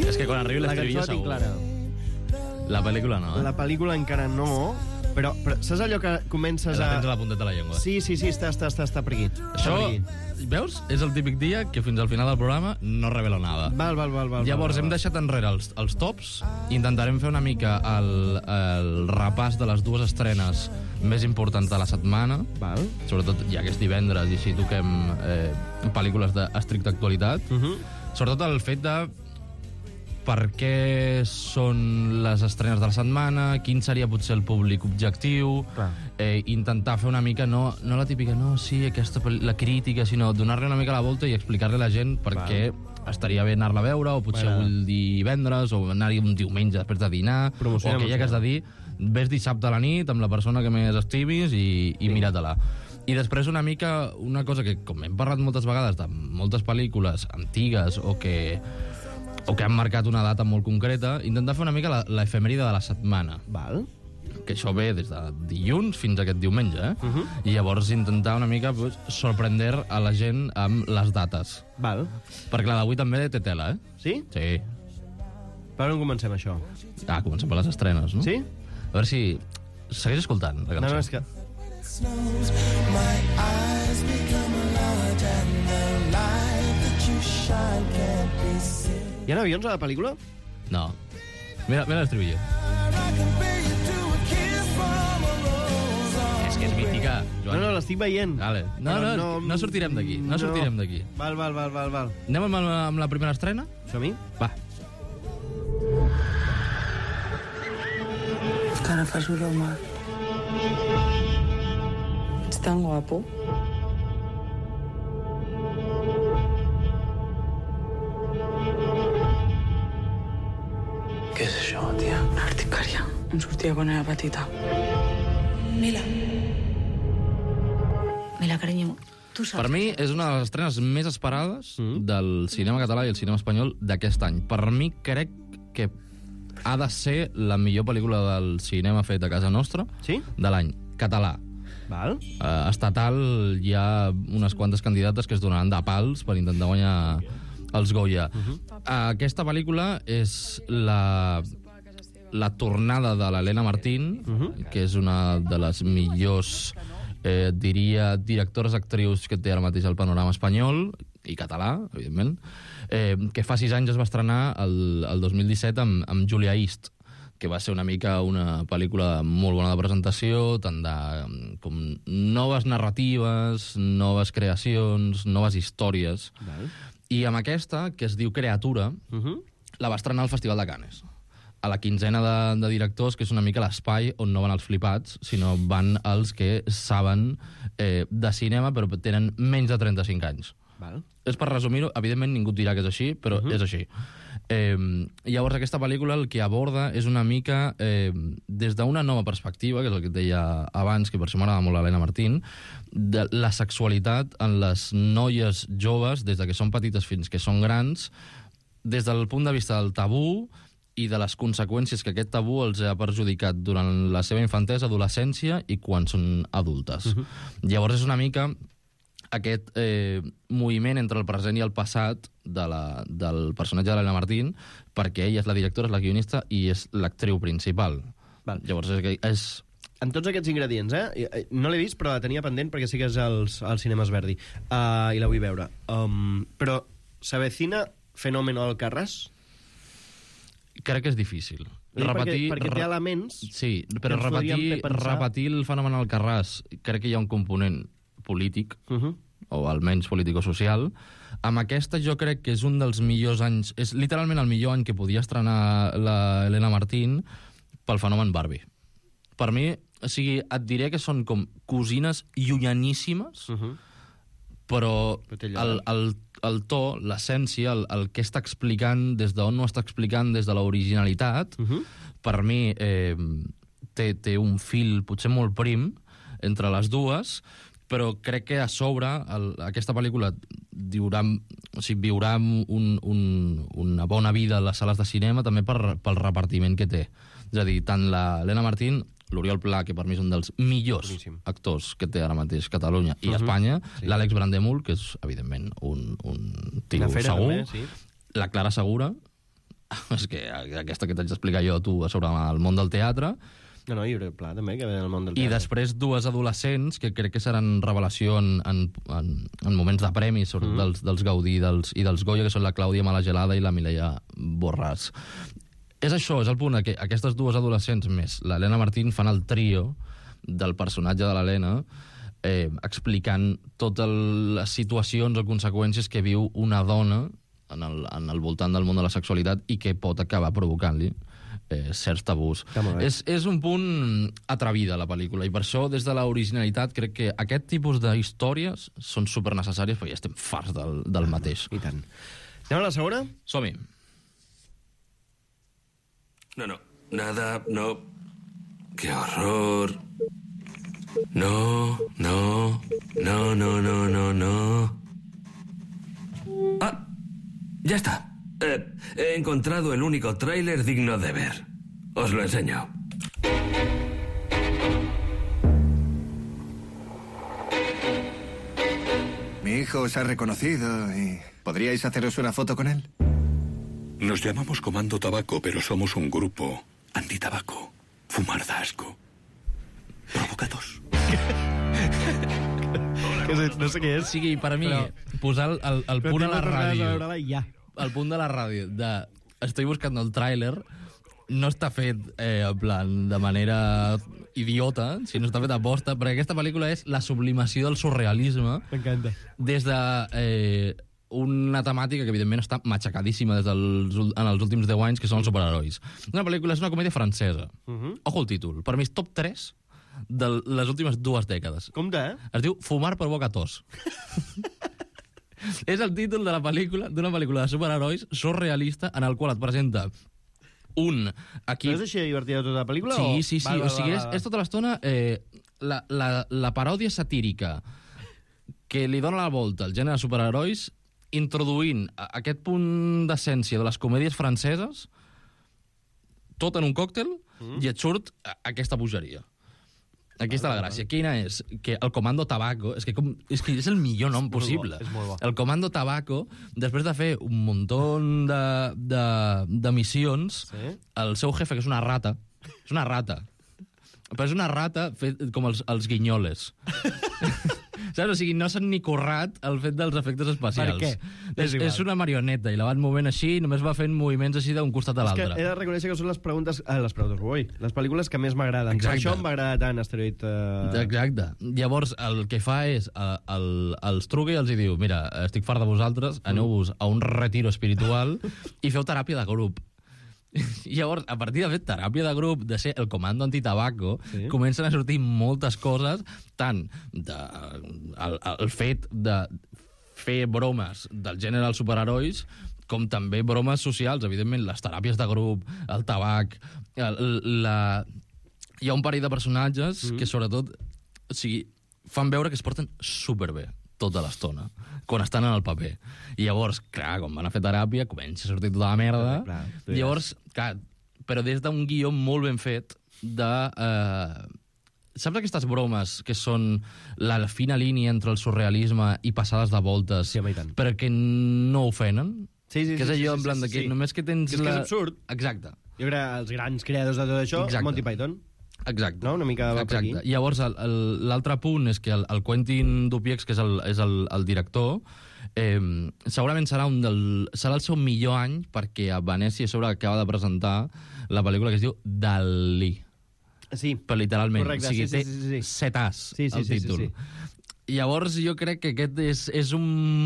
És que quan arribi l'estribillo segur. Clara. La pel·lícula no, eh? La pel·lícula encara no, Però, però saps allò que comences La a... tens a la punteta de la llengua. Sí, sí, sí, està, està, està, està per aquí. Això, Per aquí. veus? És el típic dia que fins al final del programa no revela nada. Val, val, val, val. Llavors val, hem val. deixat enrere els, els tops, intentarem fer una mica el, el repàs de les dues estrenes més importants de la setmana. Val. Sobretot, ja que és divendres i així toquem eh, pel·lícules d'estricta actualitat. Uh -huh. Sobretot el fet de per què són les estrenes de la setmana, quin seria potser el públic objectiu, eh, intentar fer una mica, no, no la típica, no, sí, aquesta, la crítica, sinó donar-li una mica la volta i explicar-li a la gent per què estaria bé anar-la a veure, o potser Bueno. vull dir divendres, o anar-hi un diumenge després de dinar, Promociona, o aquella que has de dir, ves dissabte a la nit amb la persona que més estimis i, i mira-te-la. I després una mica, una cosa que, com hem parlat moltes vegades de moltes pel·lícules antigues o que o que han marcat una data molt concreta, intentar fer una mica la- l'efemèride de la setmana. Val. Que això ve des de dilluns fins a aquest diumenge, eh? Uh -huh. I llavors intentar una mica pues, sorprender a la gent amb les dates. Val. Perquè la d'avui també té tela, eh? Sí? Sí. Per on comencem, això? Ah, comencem per les estrenes, no? Sí? A veure si... Segueix escoltant, la No, cançó. no, és que... Hi ha avions a la pel·lícula? No. Mira, mira l'estribillo. És que és mítica, No, Joan. no, l'estic veient. Vale. No, Però no, no, no sortirem d'aquí, no sortirem d'aquí. Val, val, val, val, val. Anem amb, amb la primera estrena? Som-hi? Va. Cara fas broma. Ets tan guapo. Què és això, tia? Una articària. Em sortia quan era petita. Mila. Mila, carinyo, tu saps... Per mi és una de les estrenes més esperades del cinema català i el cinema espanyol d'aquest any. Per mi crec que ha de ser la millor pel·lícula del cinema fet a casa nostra sí? de l'any. Català. Val. Uh, estatal hi ha unes quantes candidates que es donaran de pals per intentar guanyar els Goya. Uh -huh. uh, aquesta pel·lícula és la, la tornada de l'Helena Martín, uh -huh. que és una de les millors, eh, diria, directores actrius que té ara mateix el panorama espanyol, i català, evidentment, eh, que fa sis anys es va estrenar el, el dos mil disset amb, amb Julia East, que va ser una mica una pel·lícula molt bona de presentació, tant de com noves narratives, noves creacions, noves històries. Val. I amb aquesta, que es diu Creatura, Uh -huh. la va estrenar al Festival de Cannes, a la quinzena de, de directors, que és una mica l'espai on no van els flipats, sinó van els que saben eh, de cinema, però tenen menys de trenta-cinc anys. Val. És per resumir-ho, evidentment ningú et dirà que és així, però uh -huh. és així. Eh, llavors aquesta pel·lícula el que aborda és una mica eh, des d'una nova perspectiva, que és el que et deia abans, que per això m'agrada molt l'Helena Martín, de la sexualitat en les noies joves, des de que són petites fins que són grans, des del punt de vista del tabú i de les conseqüències que aquest tabú els ha perjudicat durant la seva infantesa, adolescència i quan són adultes. Uh -huh. Llavors és una mica aquest eh, moviment entre el present i el passat de la, del personatge de l'Helena Martín, perquè ella és la directora, és la guionista i és l'actriu principal. Val. Llavors és, que és... En tots aquests ingredients, eh? No l'he vist, però la tenia pendent perquè sí que és als, als cinemes Verdi. Uh, I la vull veure. Um, però s'avecina Fenómeno Alcarràs? Crec que és difícil. Dic Repetir, perquè, perquè té elements... Sí, però ens podríem repetir, fer pensar- repetir el fenomen Alcarràs, crec que hi ha un component polític, Uh -huh. o almenys político-social. Amb aquesta jo crec que és un dels millors anys, és literalment el millor any que podia estrenar la Helena Martín pel fenomen Barbie. Per mi, o sigui, et diré que són com cosines llunyaníssimes, Uh -huh. però Però té allò, el, el, el to, l'essència, el, el que està explicant, des d'on ho està explicant, des de l'originalitat, Uh -huh. per mi eh, té, té un fil potser molt prim entre les dues, però crec que a sobre el, aquesta pel·lícula viurà, o sigui, viurà un, un, una bona vida a les sales de cinema també per, pel repartiment que té. És a dir, tant l'Helena Martín, l'Oriol Pla, que per mi és un dels millors Boníssim. actors que té ara mateix Catalunya i Uh-huh. Espanya, Sí. l'Àlex Brandemul, que és, evidentment, un, un tio Una fera, segur, també, sí. la Clara Segura, és que aquesta que t'haig d'explicar jo a tu sobre el món del teatre, No, no, Llibre Pla, també, que ve del món del I teatre. després dues adolescents, que crec que seran revelació en, en, en, en moments de premis, sobretot mm. dels, dels Gaudí dels, i dels Goya, que són la Clàudia Malagelada i la Mireia Borràs. És això, és el punt, que aquestes dues adolescents més l'Helena Martín fan el trio del personatge de l'Helena, eh, explicant totes les situacions o conseqüències que viu una dona en el, en el voltant del món de la sexualitat i que pot acabar provocant-li eh, certs tabús. És, és un punt atrevida, la pel·lícula, i per això, des de l'originalitat, crec que aquest tipus d'històries són supernecessàries, perquè ja estem farts del, del mateix. I tant. Anem a la segona? Som-hi. No, no, nada, no. ¡Qué horror! No, no, no, no, no, no, no. Ah, ya está. Eh, he encontrado el único tráiler digno de ver. Os lo enseño. Mi hijo os ha reconocido y... ¿podríais haceros una foto con él? Nos llamamos Comando Tabaco, pero somos un grupo antitabaco. Fumar da asco. Provocados. No sé què és. O sigui, per a mi, Però- posar el, el, el Però punt a tinc la moltes ganes de ràdio... veure-la ja. El punt de la ràdio de... Estoy buscando el tràiler, no està fet eh, en plan de manera idiota, sinó està fet a posta, perquè aquesta pel·lícula és la sublimació del surrealisme. M'encanta. Des de... Eh, una temàtica que, evidentment, està matxacadíssima des dels, ul- en els últims deu anys, que són els superherois. Una pel·lícula és una comèdia francesa. Mhm. Ojo el títol. Per mi és top tres de les últimes dues dècades. Compte, eh? Es diu Fumar provoca tos. És el títol de la pel·lícula, d'una pel·lícula de superherois surrealista en el qual et presenta un equip... No és així divertida tota la pel·lícula? Sí, o... sí, sí. Val, O val, sigui, val, és, val. és tota l'estona eh, la, la, la paròdia satírica que li dona la volta al gènere de superherois, introduint a- aquest punt d'essència de les comèdies franceses, tot en un còctel, mm. i et surt a- aquesta bogeria. Aquí està la gràcia. Quina és? Que el Comando Tabaco, és que, com, és, que és el millor nom És molt possible. bo, és molt bo. El Comando Tabaco, després de fer un muntó de, de, de missions, Sí? el seu jefe, que és una rata, és una rata, però és una rata fet com els, els guinyoles. Saps? O sigui, no s'han ni currat el fet dels efectes especials. Per què? És, És igual. és una marioneta, i la van movent així, i només va fent moviments així d'un costat a És que l'altre. he de reconèixer que són les preguntes... Ah, les preguntes, ui, les pel·lícules que més m'agraden. Per Exacte. això em va agradar tant Asteroid... Uh... Exacte. Llavors, el que fa és, eh, el, els truca i els hi diu, mira, estic fart de vosaltres, aneu-vos a un retiro espiritual i feu teràpia de grup. I llavors, a partir de fer teràpia de grup, de ser el comando antitabaco, Sí. comencen a sortir moltes coses, tant de, el, el fet de fer bromes del gènere dels superherois, com també bromes socials, evidentment, les teràpies de grup, el tabac, el, la... Hi ha un parell de personatges mm. que, sobretot, o sigui, fan veure que es porten superbé tota l'estona, quan estan en el paper. I llavors, clar, quan van a fer teràpia, comença a sortir tota la merda. Clar, clar, tu Llavors, clar, però des d'un guió molt ben fet de... Eh, saps aquestes bromes que són la fina línia entre el surrealisme i passades de voltes, sí, però que no ofenen? Sí, sí, que és sí, allò sí, en plan sí, de que sí. només que tens... Que és que la... és absurd. Exacte. Jo crec que els grans creadors de tot això, Exacte. Monty Python. Exacte. No? Una mica va per aquí. Exacte. Llavors, el- el- l'altre punt és que el, el Quentin Dupieux, que és el, és el, el director, eh, segurament serà, un del, serà el seu millor any, perquè a Venècia a sobre acaba de presentar la pel·lícula que es diu Dalí. Sí. Però literalment. Correcte, o sigui, sí, sí, té sí, sí. set as, Sí, sí, el sí, sí, títol. sí. Llavors, jo crec que aquest és, és un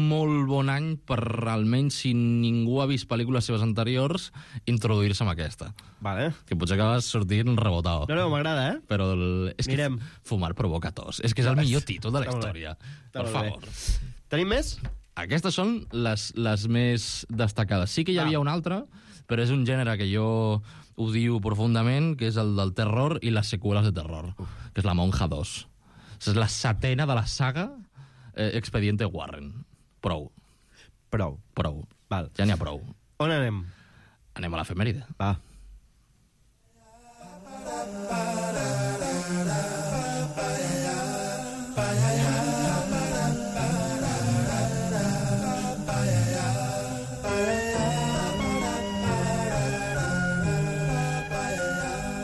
molt bon any per, almenys, si ningú ha vist pel·lícules seves anteriors, introduir-se amb aquesta. Vale. Que potser acabes sortint rebotado. No, no, m'agrada, eh? Però el, és Mirem. que fumar provoca tos. És que és el millor títol de la Està molt bé. història. Està Per molt bé. favor. Tenim més? Aquestes són les, les més destacades. Sí que hi havia una altra, però és un gènere que jo odio profundament, que és el del terror i les seqüeles de terror, que és La Monja dos. És la setena de la saga eh, Expediente Warren. Prou. Prou. Prou. Val. Ja n'hi ha prou. On anem? Anem a l'efemèride. Va.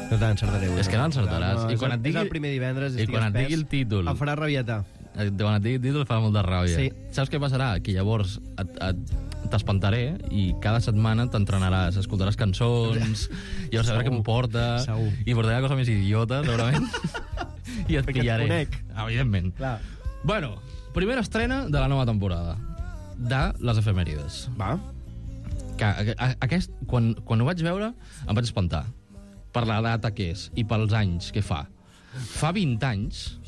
Doncs no t'encertaré. És que no encertaràs. No, I quan et digui... És el primer divendres, I quan et digui el títol... Em farà rabietar. Quan et digui el títol farà molta ràbia. Sí. Saps què passarà? Que llavors et, et, t'espantaré i cada setmana t'entrenaràs, escoltaràs cançons, i llavors a veure què em porta, Segur. i portaré la cosa més idiota, segurament, i et Perquè et pillaré. conec. Evidentment. Clar. Bueno, primera estrena de la nova temporada de les efemèrides. Va. Que, a, a, aquest, quan, quan ho vaig veure, em vaig espantar per la data que és i pels anys que fa. Fa vint anys,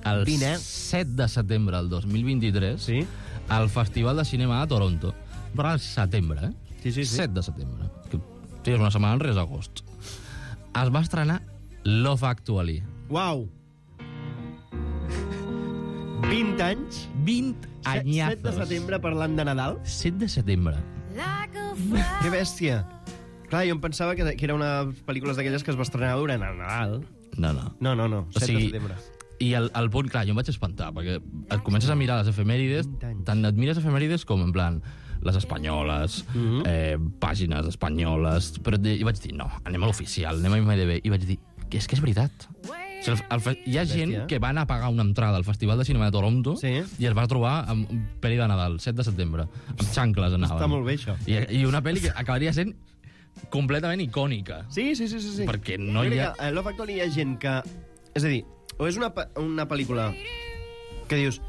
el vint, eh? set de setembre del dos mil vint-i-tres, Sí. al Festival de Cinema de Toronto. Però al setembre, eh? Sí, sí, sí. set de setembre. Que, sí, és una setmana enrere d'agost. Es va estrenar Love Actually. Uau! vint anys? vint anyazos. set de setembre parlant de Nadal? set de setembre. Que bèstia. Clar, jo em pensava que, que era una pel·lícula d'aquelles que es va estrenar durant el Nadal. No, no. No, no, no. O set sigui, de setembre. I el, el punt, clar, jo em vaig espantar, perquè et comences a mirar les efemèrides, tant et mires efemèrides com, en plan, les espanyoles, mm -hmm. eh, pàgines espanyoles, però de, i vaig dir, no, anem a l'oficial, anem a I M D B, i vaig dir, que és que és veritat. O sigui, el, el, hi ha gent Bèstia. que va anar a pagar una entrada al Festival de Cinema de Toronto Sí. i es va trobar amb un pel·li de Nadal, set de setembre, amb xancles anaven. Està molt bé, això. I, I una pel·li que acabaria sent completament icònica. Sí, sí, sí, sí. sí. Perquè no Jo hi crec ha... que a Love Actually hi ha gent que... És a dir, o és una, pe- una pel·lícula que dius...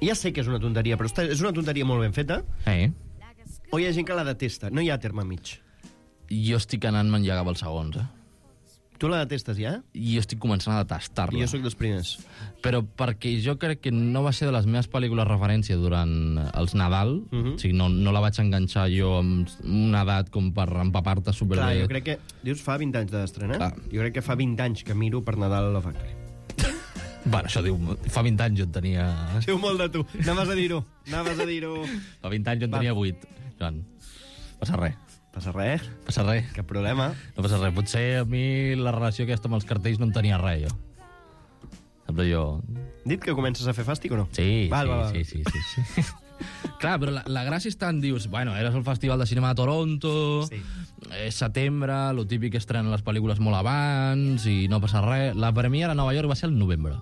Ja sé que és una tonteria, però està, és una tonteria molt ben feta, Eh? o hi ha gent que la detesta. No hi ha terme mig. Jo estic anant-me'n ja cap als segons, eh? Tu la detestes ja? I jo estic començant a detestar-la. I jo sóc dels primers. Però perquè jo crec que no va ser de les meves pel·lícules referència durant els Nadal, uh -huh. O sigui, no, no la vaig enganxar jo amb una edat com per empapar-te superbé. Clar, jo crec que... Dius, fa vint anys d'estrena? Clar. Jo crec que fa vint anys que miro per Nadal Love Actually. Bueno, això diu... Fa vint anys jo en tenia... Diu molt de tu. Anaves a dir-ho. Anaves a dir-ho. Fa vint anys jo en tenia vuit, Joan. Passa res. Passa res. Passa res. Cap problema. No passa res. Potser a mi la relació aquesta amb els cartells no en tenia res, jo. Saps allò... Dit que comences a fer fàstic o no? Sí, Val, sí, val, val. sí, sí, sí, sí. Clar, però la, la gràcia està en dius, bueno, eres el Festival de Cinema de Toronto, Sí. és setembre, lo típic que estrenen les pel·lícules molt abans i no passa res. La premiera a Nova York va ser el novembre,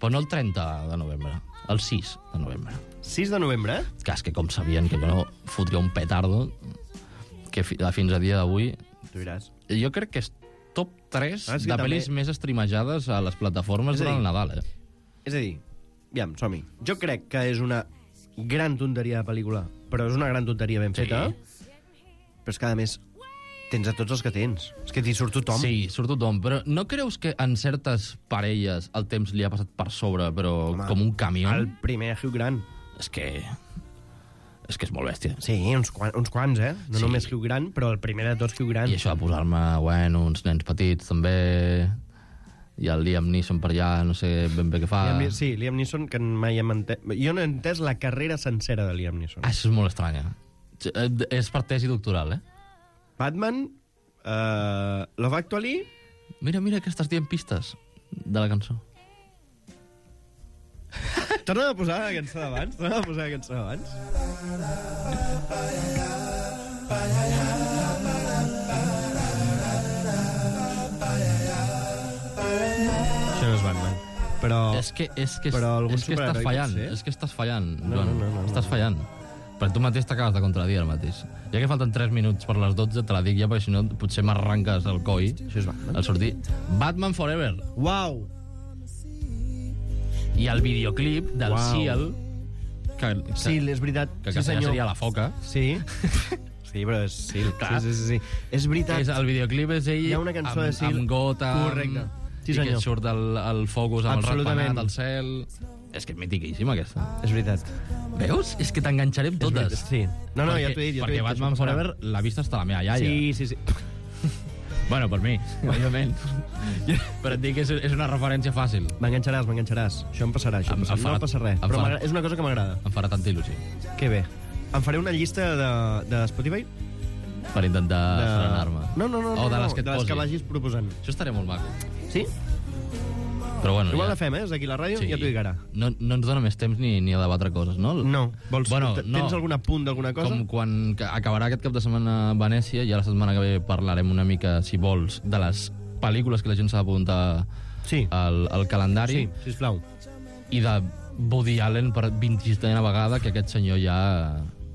però no el trenta de novembre, el sis de novembre. sis de novembre, eh? Que és que com sabien que jo no fotria un petardo, que fi, fins a dia d'avui... Tu diràs. Jo crec que és top tres Ah, sí, de també. pel·lis més streamejades a les plataformes És a dir, durant el Nadal, eh? És a dir, aviam, som-hi. Jo crec que és una gran tonteria de pel·lícula, però és una gran tonteria ben Sí. feta. Però és que, a més, tens a tots els que tens. És que t'hi surt tothom. Sí, surt tothom, però no creus que en certes parelles el temps li ha passat per sobre, però Home, com un camió? El primer Hugh Grant. És que... És que és molt bèstia. Sí, uns, quan, uns quants, eh? No Sí. només Hugh Grant, però el primer de tots Hugh Grant. I això de posar-me, bueno, uns nens petits, també... I el Liam Neeson per allà, no sé ben bé què fa. Liam, Ni- sí, Liam Neeson, que mai hem entès... Jo no he entès la carrera sencera de Liam Neeson. Ah, això és molt estranya. Eh, És per tesi doctoral, eh? Batman, uh, Love Actually... Mira, mira que estàs dient pistes de la cançó. Torna a posar la cançó d'abans. Torna a posar la cançó d'abans. Això no és Batman. Però... És que, és que, Però algun és que estàs superheroi fallant, pot ser? és que estàs fallant, No, Joan. no, no, no, no. Estàs fallant. Però tu mateix t'acabes de contradir ara mateix. Ja que falten tres minuts per les dotze, te la dic ja, perquè si no potser m'arranques el coi. Això és Batman. Al sortir. Batman Forever. Uau! I el videoclip del Uau. Seal, que, que, Sí, és veritat. que, sí, que senyor. seria la foca. Sí. Sí, però és Sil. Clar. Sí, sí, sí, sí. És veritat. És, el videoclip és ell Hi ha una cançó amb, de Seal. amb Gotham, Correcte. Sí, i que senyor. et surt el, el focus amb Absolutament. el ratpenat al cel. És que és mitiquíssima, aquesta. És veritat. Veus? És que t'enganxaré amb És totes. veritat, sí. No, no, ja t'ho he dit, ja t'ho he Perquè dit, que Batman això passarà. Forever l'ha vist hasta la meva iaia. Sí, sí, sí. Bueno, per mi, òbviament. Però et dic que és, és una referència fàcil. M'enganxaràs, m'enganxaràs. Això em passarà, això em, Em- em passarà. farà- No passa res. em Però farà- m'agrada- és una cosa que m'agrada. Em farà tanta il·lusió. Que bé. Em faré una llista de, de Spotify. Per intentar De... frenar-me. No, no, no. O no, de les no, que et de les posi. que vagis proposant. Això estaria molt maco. Sí? Però bueno, Igual ja... la fem, eh? És d'aquí la ràdio, ja t'ho dic ara. No, no ens dona més temps ni, ni a debatre coses, no? No. Vols, Bueno, t- no. Tens algun apunt d'alguna cosa? Com quan que acabarà aquest cap de setmana a Venècia, i a la setmana que ve parlarem una mica, si vols, de les pel·lícules que la gent s'ha d'apuntar sí. al, al calendari. Sí, sisplau. I de Woody Allen per vint-i-setena vegada, que aquest senyor ja...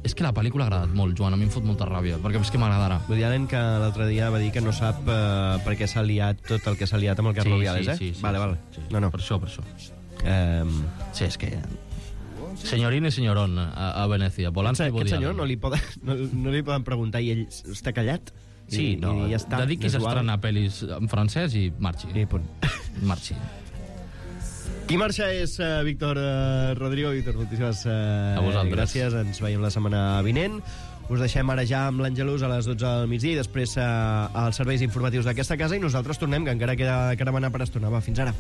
És que la pel·lícula ha agradat molt, Joan, a mi em fot molta ràbia, perquè és que m'agradarà. Woody Allen, que l'altre dia va dir que no sap eh, per què s'ha liat tot el que s'ha liat amb el Carlo sí, Viales, sí, eh? Sí, sí, vale, sí, vale. Sí, no, no. Per això, per això. Um... Sí, és que... Senyorín i senyorón a, a Venècia. Polanski i Woody Aquest senyor Allen. no li, poden, no, no li poden preguntar i ell està callat? Sí, I, no, i ja està. dediquis a estrenar pel·lis en francès i marxi. I punt. Marxi. Qui marxa és uh, Víctor uh, Rodrigo. Víctor, moltíssimes uh, a vosaltres. gràcies. Ens veiem la setmana vinent. Us deixem ara ja amb l'Angelus a les dotze del migdia i després uh, als serveis informatius d'aquesta casa i nosaltres tornem, que encara queda caravana per estona. Va, fins ara.